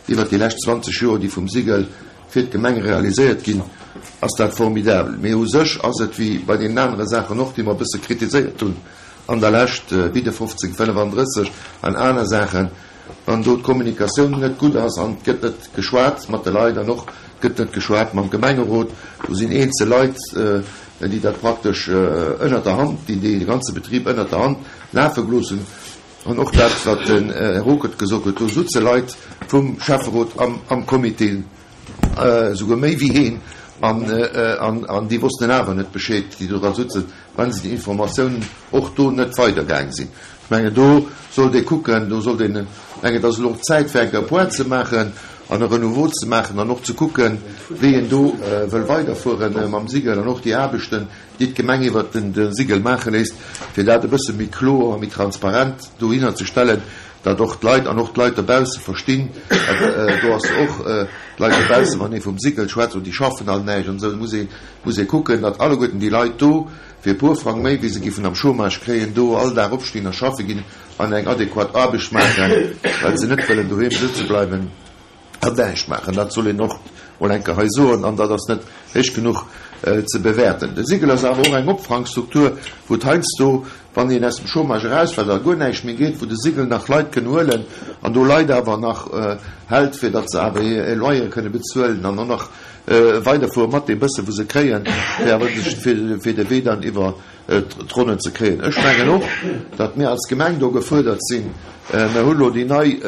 [SPEAKER 5] iwwert déi lescht 20 Joer, déi vum Sigel fir d'Gemeng realiséiert ginn, ass dat formidabel. Mee u sech ass et wéi bei deenen anere Saachen och, déi mer e bësse kritiséiert hunn an der Lescht, wéi de 1535 an aner Saachen, wann do d'Kommunikatioun net gutt ass an et gëtt net geschwat mat de Leit an och gëtt net geschwat mam Gemengerot, do sinn eenzel Leit, déi dat praktesch ënnert der Hand, déi dee ganze Betrib ënnert der Hand lafe gelooss hunn. An och dat, wat den Här Ruckert gesot huet, do sutze Leit vum Schäfferot am Comité, esouguer méi wéi een, an déi wossten awer net Bescheed, déi do dra sutzen, well se déi Informatiounen och do net weidergaang sinn. Ech mengen, do sollt ee kucken, do sollt een, ech mengen, et ass elo och Zäit, fir eng Kéier e Point ze maachen an e Renouveau ze maachen an och ze kucken, wéi een do wëll weiderfuere mam Sigel an och déi Aarbechten, déi d'Gemeng iwwert de Sigel maache léisst, fir dat e bësse méi kloer a méi transparent dohinner ze stellen, datt och d'Leit an och d'Leit dobausse verstinn, do ass och d'Leit dobausse, wann ee vum Sigel schwätzt, oh déi schaffen all näischt an esou, da muss ee muss ee kucken, datt alleguerten déi Leit do fir e puer Frang méi wéi se giffen am Chômage kréien, do all Dag opstinn a schaffe ginn an eng adequat Aarbecht maachen, well se net wëllen doheem sëtze bleiwen. An näischt maachen, dat soll een och mol eng Kéier hei soen, an dat ass net héich genuch ze bewäerten. De Sigel ass awer och eng Opfangstruktur, wou et heiansdo, wann een aus dem Chômage erausfält a guer näischt méi geet, wou de Sigel nach Leit kënn huelen an do Leit awer nach hält, fir datt se awer hir Loyere kënne bezuelen an och nach weiderfuere mat deem bësse wou se kréien, fir awer fir de Wee dann iwwer d'Ronnen ze kréien. Ech mengen och, datt mir als Gemeng do gefuerdert sinn. Mir hu lo déi nei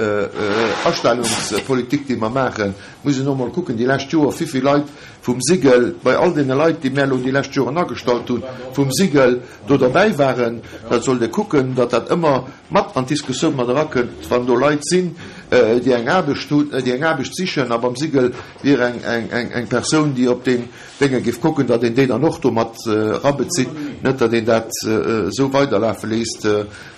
[SPEAKER 5] Astellungspolitik, déi mer maachen. Muss een och mol kucken, déi lescht Joer, wivill Leit vum Sigel, bei all deene Leit, déi mär elo déi lescht Joren agestallt hunn, vum Sigel do derbäi waren. Dat sollt ee kucken, datt dat ëmmer mat an d'Diskussioun mat erakënnt, wann do Leit sinn, déi eng Aarbecht hunn, déi eng Aarbecht sichen a beim Sigel wier eng Persoun, déi op deen Dénge géif kucken, datt een déi dann och do mat erabezitt, net datt een dat esou weiderlafe léisst,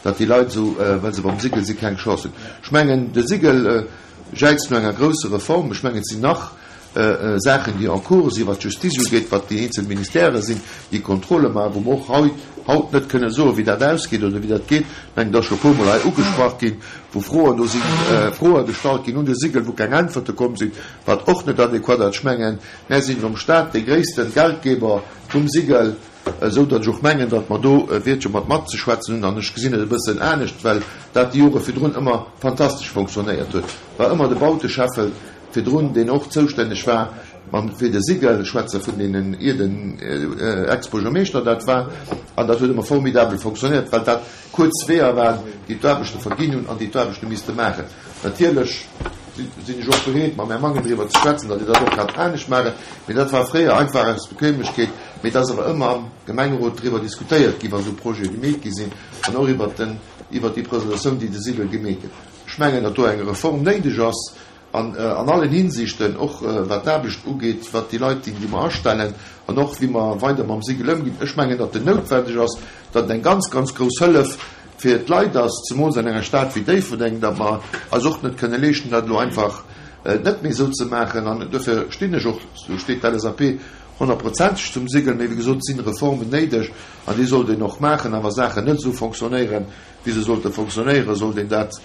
[SPEAKER 5] datt déi Leit esou, well se beim Sigel sinn, keng Chance hunn. Ech mengen, de Sigel jäizt no enger grousser Reform. Ech mengen, et sinn nach Saachen, déi en cours sinn, wat d'Justiz ugeet, wat déi eenzel Ministèrë sinn, déi Kontrolle maachen, wou mer och hei haut net kënne soen, wéi dat ausgeet oder wéi dat geet. Ech mengen, et ass scho e puermol hei ugesprach ginn, wou Froen, do si Froe gestallt ginn un de Sigel, wou keng Äntwerte komm sinn, wat och net adequat ass. Ech mengen, Mär sinn nom Staat dee gréissten Geldgeber vum Sigel, esou datt ech och mengen, datt mer do e Wiertche mat matzeschwätzen hunn. An ech gesinn et e bëssen anescht, well dat déi Jore virdrun ëmmer fantastesch fonctionnéiert huet. War ëmmer de Bauteschäffel virdrun, deen och zoustänneg war mam fir de Sigel, ech schwätze vun deenen ier den Ex-Buergermeeschter dat war, an dat huet ëmmer formidabel fonctionnéiert, well dat kuerz Weeër waren, déi d'Aarbechte verginn hunn an déi d'Aarbechte misste maachen. Natierlech sinn ech och bereet, mam Här Mangen driwwer ze schwätzen, datt een dat och kann anescht maachen, mee dat war fréier einfach aus Bequemlechkeet. Mee et ass awer ëmmer am Gemengerot driwwer diskutéiert ginn, wa sou Projete gemeet gi sinn, an och iwwert den, iwwert déi Presentatioun, déi de Sigel gemeet huet. Ech mengen, datt do eng Reform néideg ass, an an allen Hinsichten, och wat d'Aarbecht ugeet, wat déi Leit sinn, déi mer astellen, an och wéi mer weider mam Sigel ëmginn. Ech mengen, datt en noutwendeg ass, datt et eng ganz, ganz grouss Hëllef fir d'Leit ass, zemools an enger Stad wéi Déifferdeng, datt mer eis och net kënne leeschten, dat elo einfach net méi esou ze maachen. An duerfir stinn ech och, do steet d'LSAP honnertprozenteg zum Sigel, mee wéi gesot, et sinn Reformen néideg an déi sollt een och maachen. A wa Saachen net esou fonctionnéieren, wéi se sollte fonctionnéieren, sollt een dat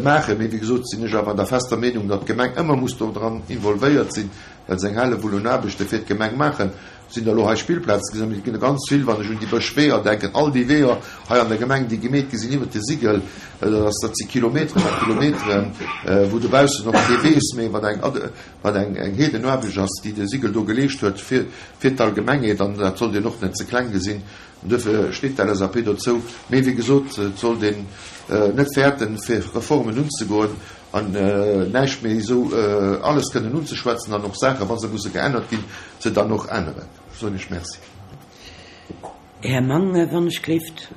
[SPEAKER 5] maachen. Mee wéi gesot sinn ech awer der fester Meenung, datt d'Gemeng ëmmer muss dodran involvéiert sinn, well se eng Hellewull un Aarbechte fir d'Gemeng maachen. Sinn der elo hei Spillplaze gesinn, mee et ginn der ganz vill, wann ech un déi Bëschweeër denken, all déi Weeër hei an der Gemeng, déi gemeet gi sinn iwwert de Sigel, dat ass, dat si Kilometeren a Kilometeren, wou dobaussen och kee weess méi, wat eng, wat eng, eng Heedenaarbecht ass, déi de Sigel do geleescht huet fir, fir d'Allgemengheet. An dat sollt een och net ze kleng gesinn. An duerfir steet d'LSAP dozou. Mee wéi gesot, et sollt een net fäerten, fir Reformen unzegoen. An näischt méi esou alles kënnen unzeschwätzen an och Saachen, wa se musse geännert ginn, se dann och änneren. Ech soen Iech Merci.
[SPEAKER 1] Här Mangen, wann ech gléift.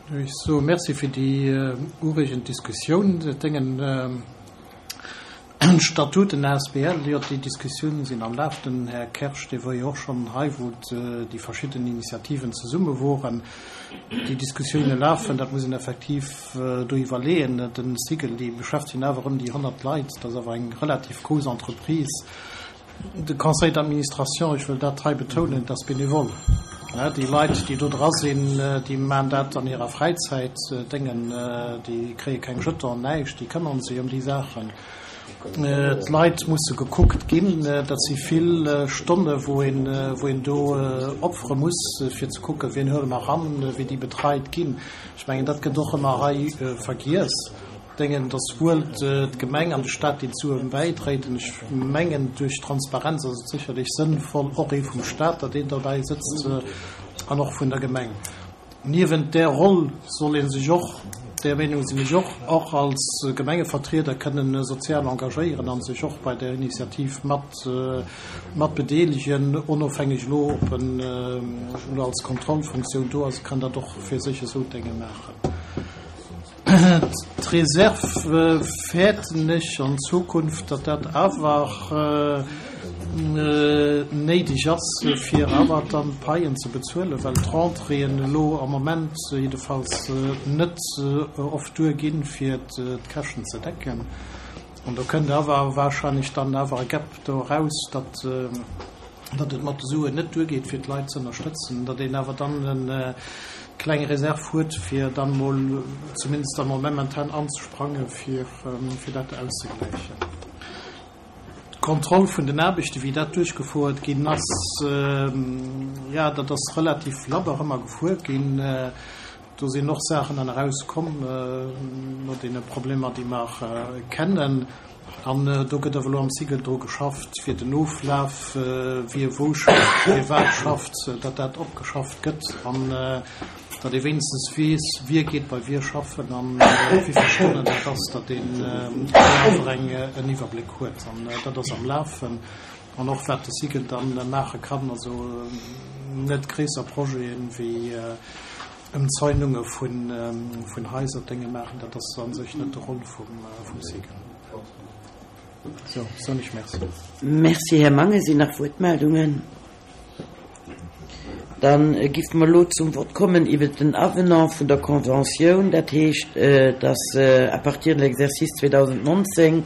[SPEAKER 16] Ech soe Merci fir déi ureegend Diskussioun. Et déngen d'Statuten asbl, jo, déi Diskussioune sinn am Laf. Den Här Kersch, dee wor jo och schonn hei, wou déi verschidden Initiativen zesumme woren. Déi Diskussioune lafen, dat muss een effektiv do iwwerleeën. De Syfel, déi beschäftegen awer ëm déi 100 Leit, dat ass awer eng relativ grouss Entreprise. De Conseil d'administration, ech wëll dat hei betounen, dat ass bénévole. Déi Leit, déi do dra sinn, déi maachen dat an hirer Fräizäit, déngen, déi kréie keng Jeton, näischt, déi këmmere sech ëm déi Saachen. D'Leit musse gekuckt ginn. Dat si vill Stonne wou een, wou een do opfere muss, fir ze kucken, wien huele mer eran, wéi déi betreit ginn. Ech mengen, dat gëtt och ëmmer hei vergiess. Denken, dass wuel d'Gemeng an de Stat déi Suen bäidréit. An ech mengen, duerch Transparenz ass et sécherlech sënnvoll, och ee vum Stat, datt een derbäi sëtzt an och vun der Gemeng. Niewent där Roll soll ee sech och, där Meenung sinn ech och, och als Gemengevertrieder kënnen sozial engagéieren a sech och bei där Initiativ mat mat bedeelegen, onofhängeg elo, ob en elo als Kontrollfunktioun do ass, kann dat och fir sech esou Dénge maachen. D'Reserve fäerten ech an Zukunft, datt dat awer néideg ass, fir awer dann d'Paien ze bezuelen, well d'Rentréeën elo am Moment jiddefalls net oft duerginn, fir d'Käschten ze decken. An do kënnt awer wahrscheinlech dann awer e Gap do eraus, datt datt et mat de Suen net duergeet, fir d'Leit ze ënnerstëtzen, datt een awer dann e kleng Reserv huet, fir dann emol zumindest da mol momentan anzesprangen, fir, fir dat auszegläichen. D'Kontroll vun den Aarbechten, wéi dat duerchgefouert ginn ass, jo, dat ass relativ labber ëmmer gefuer ginn. Do sinn och Saachen dann erauskomm no deene Problemer, déi mer kennen. An do gëtt awer elo am Syfel dru geschafft, fir den Oflaf, wie wou schafft, wie wat schafft, datt dat opgeschafft gëtt an datt ee wéinstens weess, wie geet bei wie schaffen an wéi vill Stonnen dat ass, datt een do awer en Iwwerbléck huet. An dat ass am Lafen. An och wat de Syfel dann maache kann, also net gréisser Projeten wéi Ëmzäununge vun Haiser, Dénge maachen, dat ass a sech net de Rôle vum Syfel. Sou, soen ech Merci.
[SPEAKER 1] Merci, Här Mangen. Sinn nach Wuertmeldungen? Da giffe mer elo zum Vott kommen iwwert den Avenant vun der Conventioun. Dat heescht, dass à partir de l'exercice 2019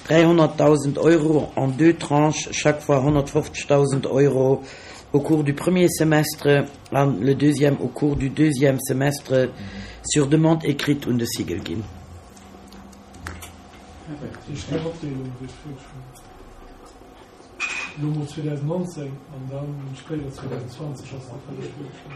[SPEAKER 1] 300.000 Euro en deux tranches, chaque fois 150.000 Euro au cours du premier semestre an le deuxième au cours du deuxième semestre sur demande écrite un de Syfel ginn.
[SPEAKER 6] Elo mol 2019 an da spéider 2020 ass dat vëlleg wurscht.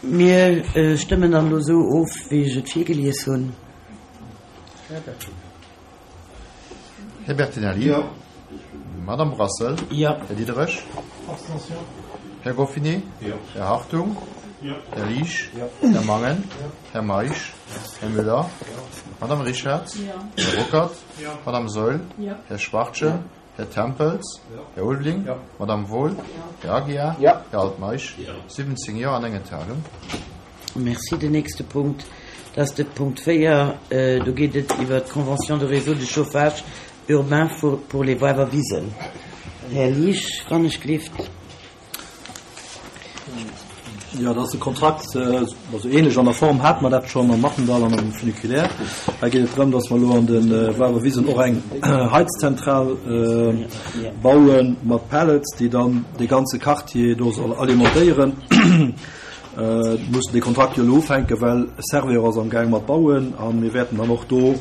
[SPEAKER 1] Mir stëmmen dann elo esou of, wéi ech et virgelies hunn.
[SPEAKER 15] Här Bertinelli. Jo. Madame Brassel.
[SPEAKER 1] Jo.
[SPEAKER 15] Här Diderich.
[SPEAKER 6] Abstention.
[SPEAKER 15] Här Goffinet.
[SPEAKER 7] Jo.
[SPEAKER 15] Här Hartung.
[SPEAKER 7] Jo.
[SPEAKER 15] Här Liesch.
[SPEAKER 7] Jo.
[SPEAKER 15] Här Mangen. Här Meisch. Här Müller. Madame Richard. Här Ruckert. Madame Saeul. Här Schwachtgen. Här Tempels. Här Ulveling. Madame Wohl. Här Aguiar. Här Altmeisch. 17 Jo an eng Enthalung.
[SPEAKER 1] Merci. Den nächste Punkt, dat ass de Punkt 4. Do geet et iwwert d'Convention de réseau de chauffage urbain pour les Woiwer Wisen. Här Liesch, wann ech gleeft.
[SPEAKER 2] Jo, dat ass e Kontrakt, also ähnlech an der Form hate mer dat schonn am Mattendall an am Funiculaire. Hei geet et drëm, datt mer elo an de Woiwer Wisen och eng Heizzentral baue mat Pellets, déi dann dee ganze Quartier do soll alimentéieren. Mir mussen dee Kontrakt jo elo ufänken, well Servior ass am Gaang mat bauen a mir wäerten dann och do.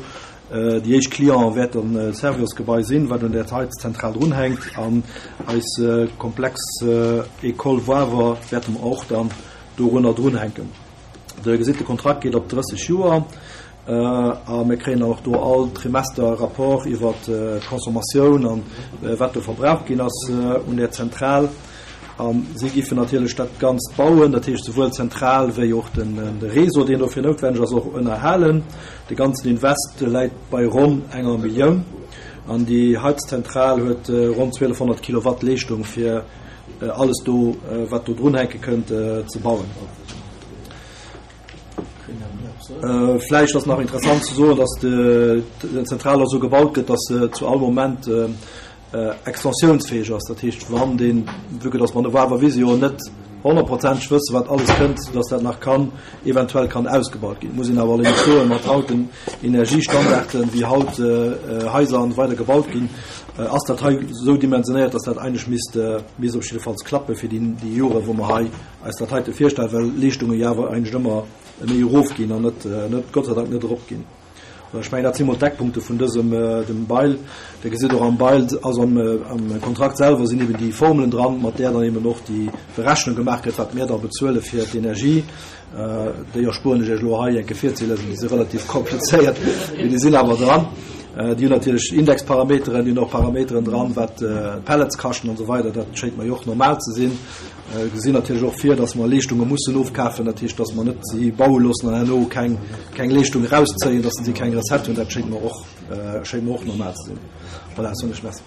[SPEAKER 2] Déi éischt Cliente wäert dann d'Serviosgebai sinn, wat un där Heizzentral drunhänkt. An eis Komplex École Wawer wäerte mer och dann dorunner drunhänken. Der gesitt, de Kontrakt geet op 30 Joer a mir kréien dann och do all Trimester e Rapport iwwer d'Consommatioun an wat do verbraucht ginn ass un där Zentral. A si giffen natierlech dat Ganzt bauen, dat heescht souwuel d'Zentral wéi och de Réseau, deen dofir noutwenneg ass, och ënnerhalen. De ganzen Invest läit bei ronn enger Millioun an déi Heizzentral huet ronn 1.200 Kilowatt Leeschtung fir alles do, wat do drunhänke kënnt, ze bauen. Vläicht ass nach interessant ze soen, dass d'Zentral och esou gebaut gëtt, dass se zu all Moment extensiounsfäeg ass. Dat heescht, wann deen, vue que dass mer no Wawer Visio net honnertprozenteg wëssen, wat alles kënnt, dass dat nach kann eventuell kann ausgebaut ginn. Muss een awer allerdéngs soen, mat haut den Energiestandarden, wéi haut Haiser an esou weider gebaut ginn, ass dat hei esou dimensionéiert, dass dat eigentlech misst, misst op jiddefalls klappe fir déi, déi Jore wou mer hei eis dat heite virstellen, well Leeschtunge jo awer eigentlech ëmmer méi erofginn an net, net, Gott sei Dank net eropginn. Ech mengen, dat si mol d'Eckpunkte vun dësem, dem Bail. Dir gesitt och am Bail, also am, am Kontrakt selwer sinn eben déi Formelen dran, mat där dann eben och déi Berechnung gemaach gëtt, wat mir da bezuele fir d'Energie. Déi erspueren ech Iech elo hei enke virzelesen, déi si relativ komplizéiert, mee déi sinn awer dran. Déi hunn natierlech Indexparameteren, déi hunn och Parameteren dran, wat d'Pellets kaschten an esou weider. Dat schéngt mer jo och normal ze sinn. Gesinn natierlech och vir, dass mer Leeschtunge mussen ofkafen, dat heescht, dass mer net si baue loossen an herno keng, keng Leeschtung erauszéien, dass si keng Recette hunn. Dat schéngt mer och, schéngt mer och normal ze sinn. Voilà, soen ech Merci.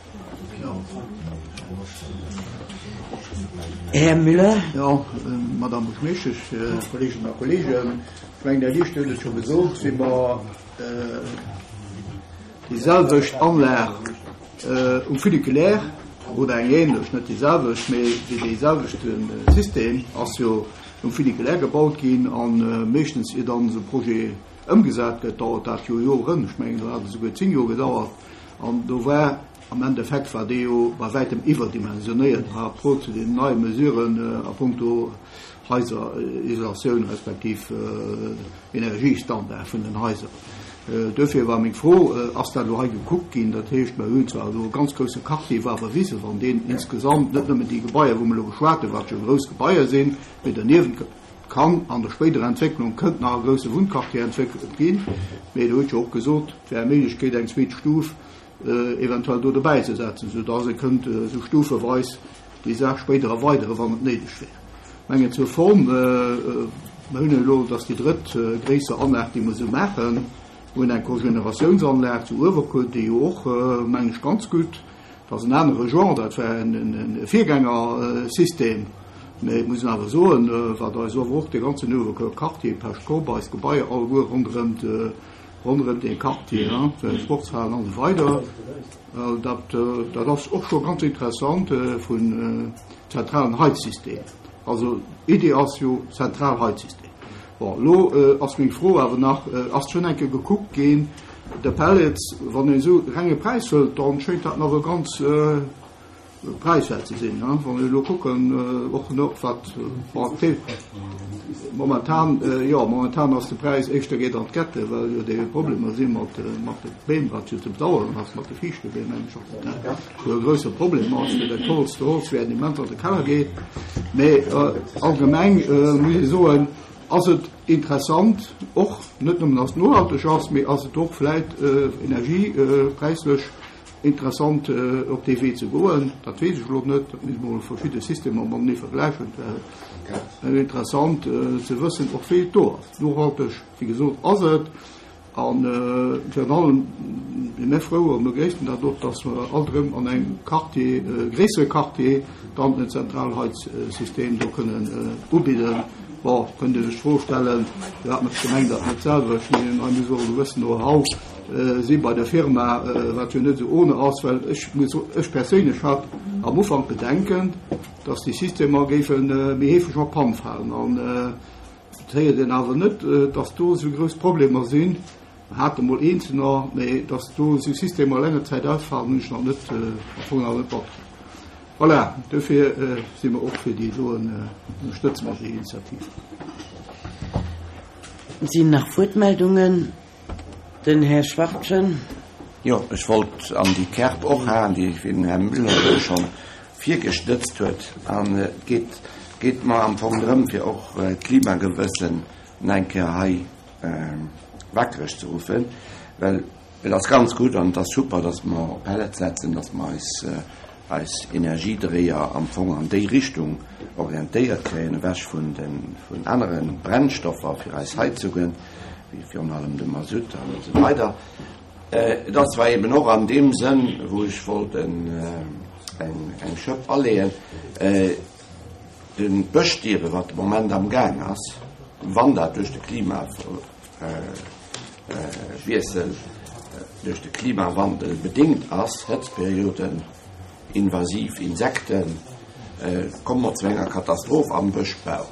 [SPEAKER 1] Här Müller.
[SPEAKER 14] Jo, Madame Buergermeeschtesch, Kolleeginnen a Kolleegen, ech mengen, Här Liesch huet et scho gesot, wéi mer déi selwecht Anlag Um Funiculaire, oder eng ähnlech, net déi selwecht, mee déi dee selwechte System ass jo um Funiculaire gebaut ginn a meeschtens ier dann esou e Projet ëmgesat gëtt, dauert dat jo Joren, ech mengen do hat et esouguer 10 Joer gedauert an do war am Endeffekt war dee jo bei wäitem iwwerdimensionéiert par rapport zu den neie Mesuren a punkto Haiserisolatioun respektiv Energiestandard vun den Haiser. Duerfir war meng Fro, Ass dat elo hei gekuckt ginn? Dat heescht, mer hunn zwar elo e ganz grousse Quartier Wawerwise, wann deen insgesamt, net nëmmen déi Gebaier, wou mer elo geschwat hunn, wat jo grouss Gebaier sinn, mee derniewent kann an der spéiderer Entwécklung kënnt nach e grousse Wunnquartier entwéckelt ginn, mee Der hutt jo och gesot, et wär eng Méiglechkeet, eng zweet Stuf eventuell do dobäi ze setzen, soudass ee kënnt esou stufeweis déi Saach spéider erweideren, wann et néideg wär. Mengen zur Form, mer hunn elo, dat ass déi drëtt gréisser Anlag, déi mer esou maachen, mer hunn eng Cogénératiounsanlag zu Uewerkuer, déi jo och, mengen ech, ganz gutt, dat ass en anere Genre, dat war e Virgängersystem, mä et muss een awer soen, wat eis awer och dee ganzen Uewerkuer Quartier, Pesch-Korb, eis Gebaier alleguer ronderëm de, ronderëm dee Quartier, Sportshalen an esou weider, dat, dat ass och scho ganz interessant vun zentralen Heizsystem. Also Idee ass jo zentral Heizsystem. Bon, elo ass meng Fro awer nach, ass schonn eng Kéier gekuckt ginn, de Pellets, wann een esou renge Präis hëlt, dann schéngt dat nach e ganz präiswäert ze sinn. Wann ech elo kucken, och no wat momentan, jo momentan ass de Präis éischter geet an d'Gette, well jo déi Problemer si mat mat de Beem, wat jo ze bedauern ass, mat de Fiichtebeem meng ech och, dat jo e grousse Problem ass fir dat Holz, de Holzwäert immens an de Keller geet. Mee allgemeng muss ee soen, ass et interessant och net nëmmen datt et nohalteg ass, mee ass et och vläit energiepräislech Interessant op dee Wee ze goen, dat weess ech elo net, dat misst mol verschidde Systemer matenee vergläichen. Et wär interessant ze wëssen och wéi et do ass. Nohalteg, wéi gesot, ass et. A virun allem si mir frou a begréissen dat och, datt mer alt erëm an engem Quartier, gréissere Quartier, dann en Zentralheizsystem do kënnen ubidden. Bon, kënnt Dir lech d'Fro stellen, firwat mécht d'Gemeng dat net selwer? Ech mengen, hei muss och e gewëssen Know-how si bei der Firma, wat jo net esou ohne ass, well ech muss, ech perséinlech hat am Ufank Bedenken, dass déi Systemer géife méi heefeg an d'Pann falen. An et héiert een awer net, dass do esou grouss Problemer sinn. Mer hate mol eenzelner, mä dass do esou Systemer länger Zäit ausfalen, hunn ech nach net, am Fong nach net matkritt. Voilà, dofir si mer och fir déi doen, ënnerstëtze mer déi Initiativ.
[SPEAKER 1] Sinn nach Wuertmeldungen? Den Här Schwachtgen.
[SPEAKER 9] Jo, ech wollt an déi Kerb och haen, déi den Här Müller elo scho virgestëtzt huet. An et geet, geet mer am Fong drëm, fir och d'Klimagewëssen nach eng Kéier hei wakereg ze ruffen, well et ass ganz gutt an et ass super, dass mer op Pellets setzen, dass mer eis, eis Energiedréier am Fong an déi Richtung orientéiert kréien, ewech vun de, vun anere Brennstoffer fir eis Heizungen, wéi virun allem de Masutt an esou weider. Et ass zwar eben och an deem Sënn, wou ech wollt eng, eng Schëpp aleeën, De Bëschstierwe wat de Moment am Gaang ass, wann dat duerch de Klimawiessel, duerch de Klimawandel bedéngt ass, Hëtztperioden, invasiv Insekten, komme mer zu enger Katastroph am Bëschbau.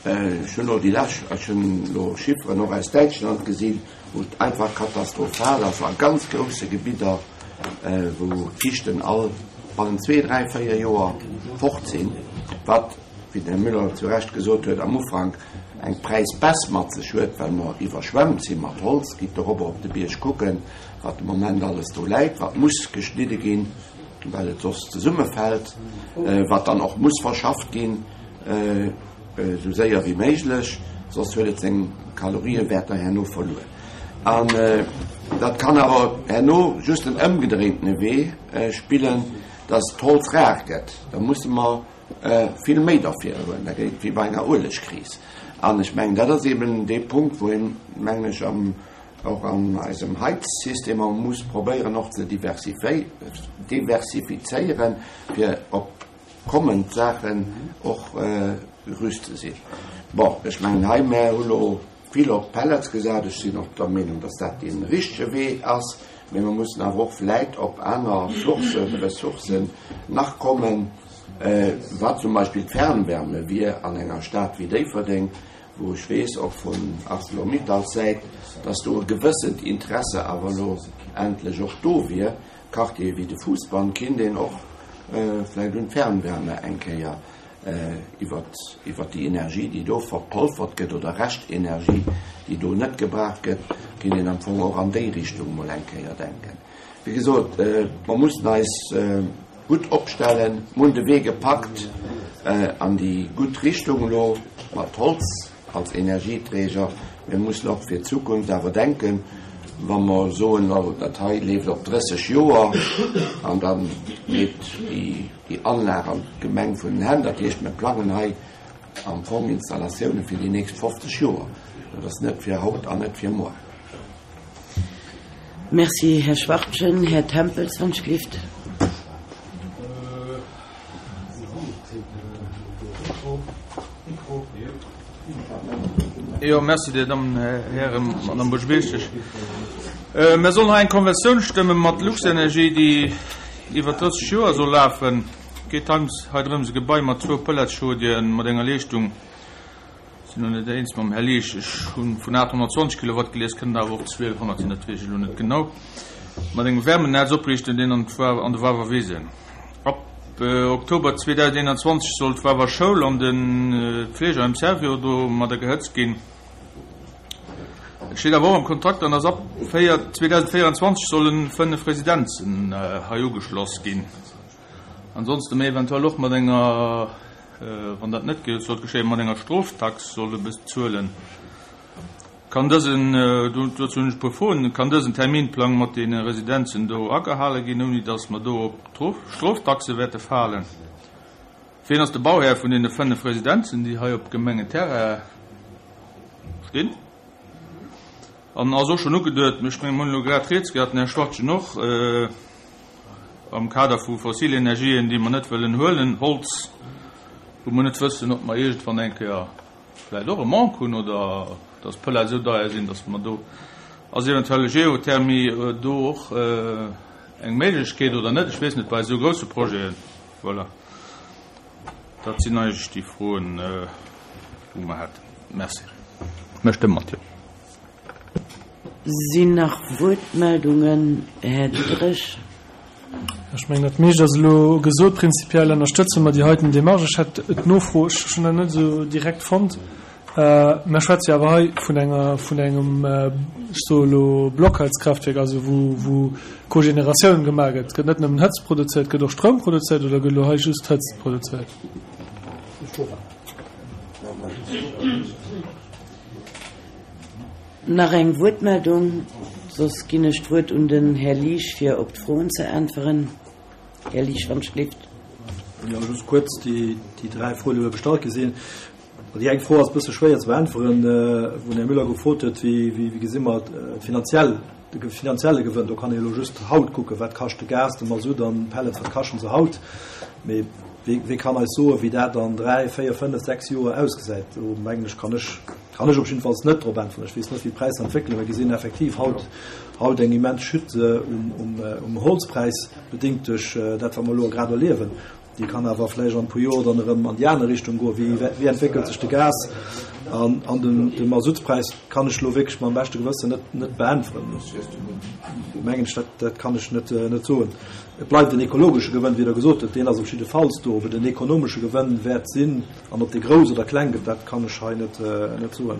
[SPEAKER 9] Ech hunn elo déi lescht, ech hunn elo Chifferen och aus Däitschland gesinn, wou et einfach katastrophal ass a ganz grousse Gebidder, wou d'Fichten all bannent zwee, dräi, véier Joer fort sinn, wat, wéi den Här Müller zu Recht gesot huet am Ufank, eng Präisbaisse mat sech huet, well mer iwwerschwemmt si mat Holz. Gitt dorobber op de Bierg kucken, wat de Moment alles do läit, wat muss geschnidde ginn, well et soss zesummefält, wat dann och muss verschafft ginn. Esou séier wéi méiglech, soss huet et seng Kaloriewäerter herno verluer. An dat kann awer herno just den ëmgedréintene Wee spillen, dass d'Holz rar gëtt. Da musse mer vill méi derfir huelen. Da gëtt et wéi bei enger Uelegkris. An ech mengen, dat ass eben dee Punkt, wou een, mengen ech, och an eisem Heizsystemer muss probéieren och ze diversifizéieren, fir op kommend Saachen och gerüst ze sinn. Bon, ech mengen hei, mär hu lo vill op Pellets gesat. Ech sinn och der Meenung, dass dat dee richtege Wee ass, mee mer mussen awer och vläit op aner Sourcen, Ressourcen nach kommen, wat zum Beispill d'Fernwärme wier an enger Stad wéi Déifferdeng, wou ech weess, och vun Arcelor-Mittals Säit, dass do e gewëssent Interesse awer elo endlech och do wier. Quartiere wéi de Fousbann kinnt een och vläicht un d'Fernwärme eng Kéier iwwert déi Energie, déi do verpolfert gëtt, oder Reschtenergie, déi do net gebraucht gëtt, kinnt een am Fong och an déi Richtung mol eng Kéier denken. Wéi gesot, mer mussen eis gutt opstellen. Mer hunn de Wee gepackt an déi gutt Richtung elo mat Holz. Als Energieträger. Mir mussen och fir d'Zukunft awer denken, wa mer soen, oh, dat hei leeft op 30 Joer an da geet déi Anlag an d'Gemeng vun den Hänn. Dat heescht, mir plangen hei am Fong Installatioune fir déi nächst 50 Joer. Dat ass net fir haut an net fir muer.
[SPEAKER 1] Merci, Här Schwachtgen. Här Tempels, wann ech gelift.
[SPEAKER 12] Jo, merci, Dir Dammen, Hären, Madame Buergermeeschtesch. Mir sollen hei eng Konventioun stëmme mat Luxenergie, déi iwwer 30 Joer soll lafen. Et geet hei drëms, e Gebai mat zwou Pelletschaudieren mat enger Leeschtung, sinn elo net eens mam Här Liesch, ech hu vun 820 Kilowatt gelies, kënnen awer och 1200 sinn, dat weess ech elo net genau, mat engem Wärmenetz opriichten, deen an an de Wawerwisen. Ab Oktober 2021 soll d'Wawer Schoul an de Pflegeheim Servior domadder gehëtzt ginn. Et steet awer och am Kontrakt dran, dass ab 2024 solle 5 Residenzen hei ugeschloss ginn. Ansonsten méi eventuell och mat enger, wann dat net sollt geschéien, mat enger Stroftax solle bezuelen. Kann dësen, dozou hunn ech e puer Froen, kann dësen Terminplang mat deene Residenzen do agehale ginn, ouni datt mer do op Stroftaxe wäerte falen? Wien ass de Bauhär vun deene 5 Residenzen, déi hei op Gemengenterrain stinn? An ass och schonn ugeduet, ech mengen, mir hunn elo grad rieds gehat, den Här Schwachtgen och, am Kader vu fossile Energien, déi mer net wëllen huelen, Holz, wou mer net wëssen, ob mer iergendwann eng Kéier vläicht och e Manque hunn oder dass d'Pellets esou deier sinn, dass mer do, ass eventuell e Geothermie do och eng Méiglechkeet oder net? Ech weess net, bei esou grousse Projeten. Voilà, dat sinn eigentlech déi Froen, wou mer hätten. Merci. Mir stëmme mat Jo.
[SPEAKER 1] Sinn nach Wuertmeldungen? Här Diderich.
[SPEAKER 6] Ech mengen, dat meescht ass elo gesot. Prinzipiell ënnerstëtze mer déi heiten Démarche. Ech hätt d'Nofro, ech hunn dat net esou direkt fonnt. Mer schwätze jo awer hei vun enger, vun engem, ech soe elo Blockheizkraftwerk, also wou, wou Cogénératioun gemaach gëtt. Et gëtt net nëmmen Hëtzt produzéiert, gëtt och Stroum produzéiert oder gëtt elo hei just Hëtzt produzéiert?
[SPEAKER 1] Nach eng Wuertmeldung, soss ginn ech d'Wuert un den Här Liesch, fir op d'Froen ze äntweren. Här Liesch, wann ech gelift.
[SPEAKER 2] Jo, just kuerz déi dräi Froen, déi elo gestallt gi sinn. Déi eng Fro ass e bësse schwéier ze beäntweren, wou den Här Müller gefrot huet, wéi wéi gesi mer d'finanziell, de finanzielle Gewënn. Do kann ee elo just haut kucken, wat kascht de Gas, de Masutt an d'Pellets, wat kaschten se haut. Mee wee wee kann eis soen, wéi dat an dräi, véier, fënnef, sechs Joer ausgesäit? Do mengen ech, kann ech kann ech op jiddefalls net drop äntweren. Ech weess net, wéi d'Präisser entwéckelen. Mir gesinn effektiv haut haut eng immens Chute um um um Holzpräis, bedéngt duerch dat, wat mer elo grad erliewen. Déi kann awer vläicht an e puer Joer dann erëm an déi aner Richtung goen. Wéi, wéi entwéckelt sech de Gas an, an den, de Masutspräis, kann ech elo wierklech mam beschte Gewëssen net, net beäntweren. Do mengen ech, dat, dat kann ech net, net soen. Et bleift en ekologesche Gewënn, wéi Der gesot hutt, deen ass op jiddefalls do. Ob et en ekonomesche Gewënn wäert sinn an ob dee grouss oder kleng gëtt, dat kann ech hei net, net soen.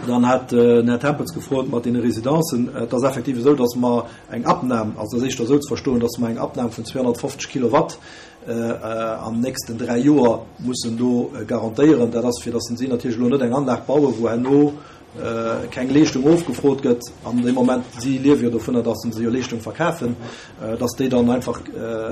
[SPEAKER 2] Dann hat den Här Tempels gefrot mat deene Residencen. Et ass effektiv esou, datt mer eng Abnam, also et ass éischter esou ze verstoen, datt mer eng Abnam vun 250 Kilowatt an nächsten dräi Joer mussen do garantéieren. Dat ass, fir datt si natierlech elo net eng Anlag bauen, wou herno keng Leeschtung ofgefrot gëtt an deem Moment, si liewe jo dovunner, datt se jo Leeschtung verkafen, datt déi dann einfach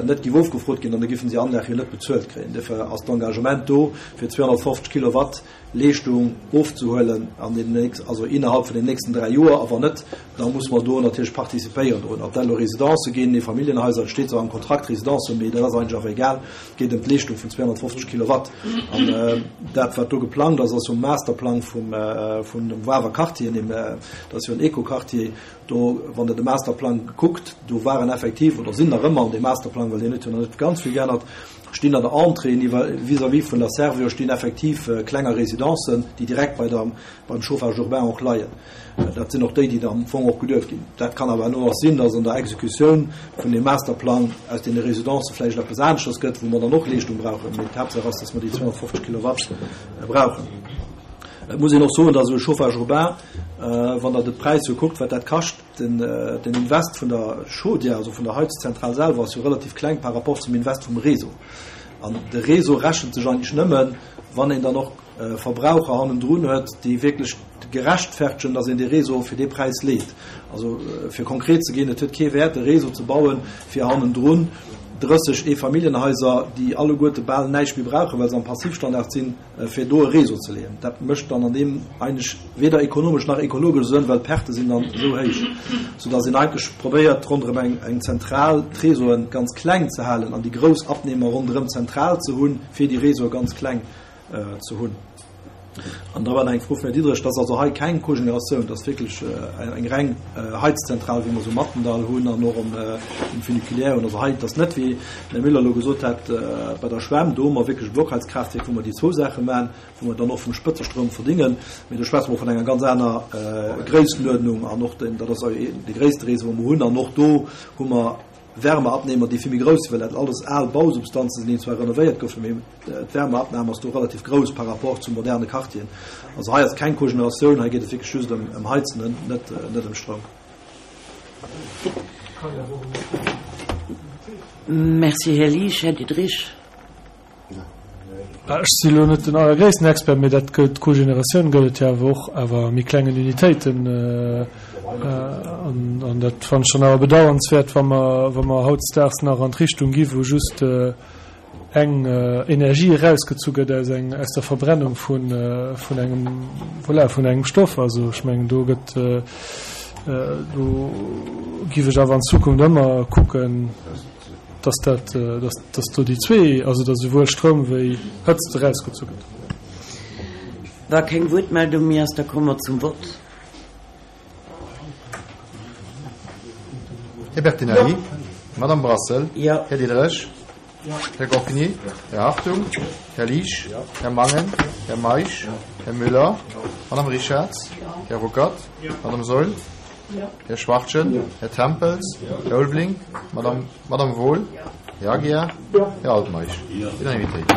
[SPEAKER 2] net géif ofgefrot ginn an da géifen si Anlag jo net bezuelt kréien. Duerfir ass d'Engagement do fir 250 Kilowatt Leeschtung ofzehuelen an den nächst, also innerhalb vun den nächsten 3 Joer, a wann net, da musse mer do natierlech participéieren drun. Ob dat elo Residencë ginn, Eefamilljenhaiser, et steet zwar am Kontrakt Residencen, mee dat ass eigentlech awer egal, et geet ëm d'Leeschtung vun 250 Kilowatt. An dat, wat do geplangt ass, ass um Masterplang vum, vun dem Wawer Quartier, deem, dat ass jo en Eco-Quartier, do, wann Der de Masterplang kuckt, do waren effektiv, oder sinn nach ëmmer an deem Masterplang, well deen huet jo nach net ganz vill geännert, stinn an der Entrée vis-à-vis vun der Servior stinn effektiv klenger Residencen, déi direkt bei der, beim Chauffage urbain och leien. Dat sinn och déi, déi da am Fong och geduecht ginn. Dat kann awer herno och sinn, dass an der Exekutioun vun deem Masterplang aus deene Residencë vläicht eppes aneschters gëtt, wou mer dann och Leeschtung brauchen. Mee d'Haaptsaach ass, dass mer déi 250 Kilowatt brauchen. Et muss een och soen, dass esou e Chauffage urbain, wann Der de Präis esou kuckt, wat dat kascht, Den Invest vun der Chaudière, also vun der Heizzentral selwer, ass jo relativ kleng par rapport zum Invest vum Réseau. An de Réseau rechent sech eigentlech nëmmen, wann een dann och Verbraucher hannendrun huet, déi wierklech gerechtfertegen, datt een dee Réseau fir dee Präis leet. Also fir konkret ze ginn, et huet kee Wäert, e Réseau ze bauen, fir hannendrun 30 Eefamilljenhaiser, déi alleguerte bal näischt méi brauchen, well se am Passivstandard sinn, fir do e Réseau ze leeën. Dat mécht dann an deem eigentlech weder ekonomesch nach ekologesch Sënn, well d'Perte sinn dann esou héich, soudass een eigentlech probéiert, ronderëm eng eng Zentral d'Réseauen ganz kleng ze halen an déi grouss Abnehmer ronderëm d'Zentral ze hunn, fir déi Réseaue ganz kleng ze hunn. An da war nach eng Fro vum Här Diderich, dass also hei keng Cogénératioun, dass wierklech eng reng Heizzentral, wéi mer se um Mattendall hunn an och um Funiculaire hunn. Also hei, dass net wéi den Här Müller elo gesot hat, bei der Schwämm, do hu mer wierklech e Blockheizkraaftwierk, wou mer déi zwou Saache maachen, wou mer dann och vum Spëtzestroum verdingen. Mee do schwätze mer vun enger ganz aner Gréisstenuerdnung an och den, dat ass de gréisste Réseau, wou mer hunn. An och do hu mer Wärmeabnehmer, déi vill méi grouss sinn, well dat alles al Bausubstanzen sinn, déi zwar renovéiert goufen, mee d'Wärmeabnahme ass do relativ grouss par rapport zu moderne Quartieren. Also hei ass keng Cogeneratioun, hei geet et wierklech just ëm Heizen, net ëm Stroum.
[SPEAKER 1] Merci, Här Liesch. Här Diderich.
[SPEAKER 6] Ech si lo net den allergréissten Expert, mee dat gëtt, d'Cogénératioun gëtt et jo awer och, awer a méi klengen Unitéiten. An dat fannen ech dann awer bedauernswäert, wa mer, wa mer hautdesdaags nach an d'Richtung gi wou just eng Energie erausgezu gëtt aus eng, aus der Verbrennung vun, vun engem, voilà, vun engem Stoff. Also ech mengen do gëtt, do giff ech awer an Zukunft ëmmer kucken, dass dat, dass, dass do déi zwee, also dass esouwuel Stroum wéi Hëtzt erausgezu gëtt.
[SPEAKER 1] Wa keng Wuertmeldung méi ass, da komme mer zum Vott.
[SPEAKER 15] Här Bertinelli? Madame Brassel?
[SPEAKER 1] Jo.
[SPEAKER 15] Här Diderich? Här Gocquigny? Här Hartung? Här Liesch? Här Mangen? Här Meisch? Här Müller? Madame Richarz? Här Ruckert? Madame Saeul? Här Schwachtgen? Här Tempels? Här Ulveling? Madame, Madame Wohl? Här Aguiar? Här Altmeisch? Unanimitéit.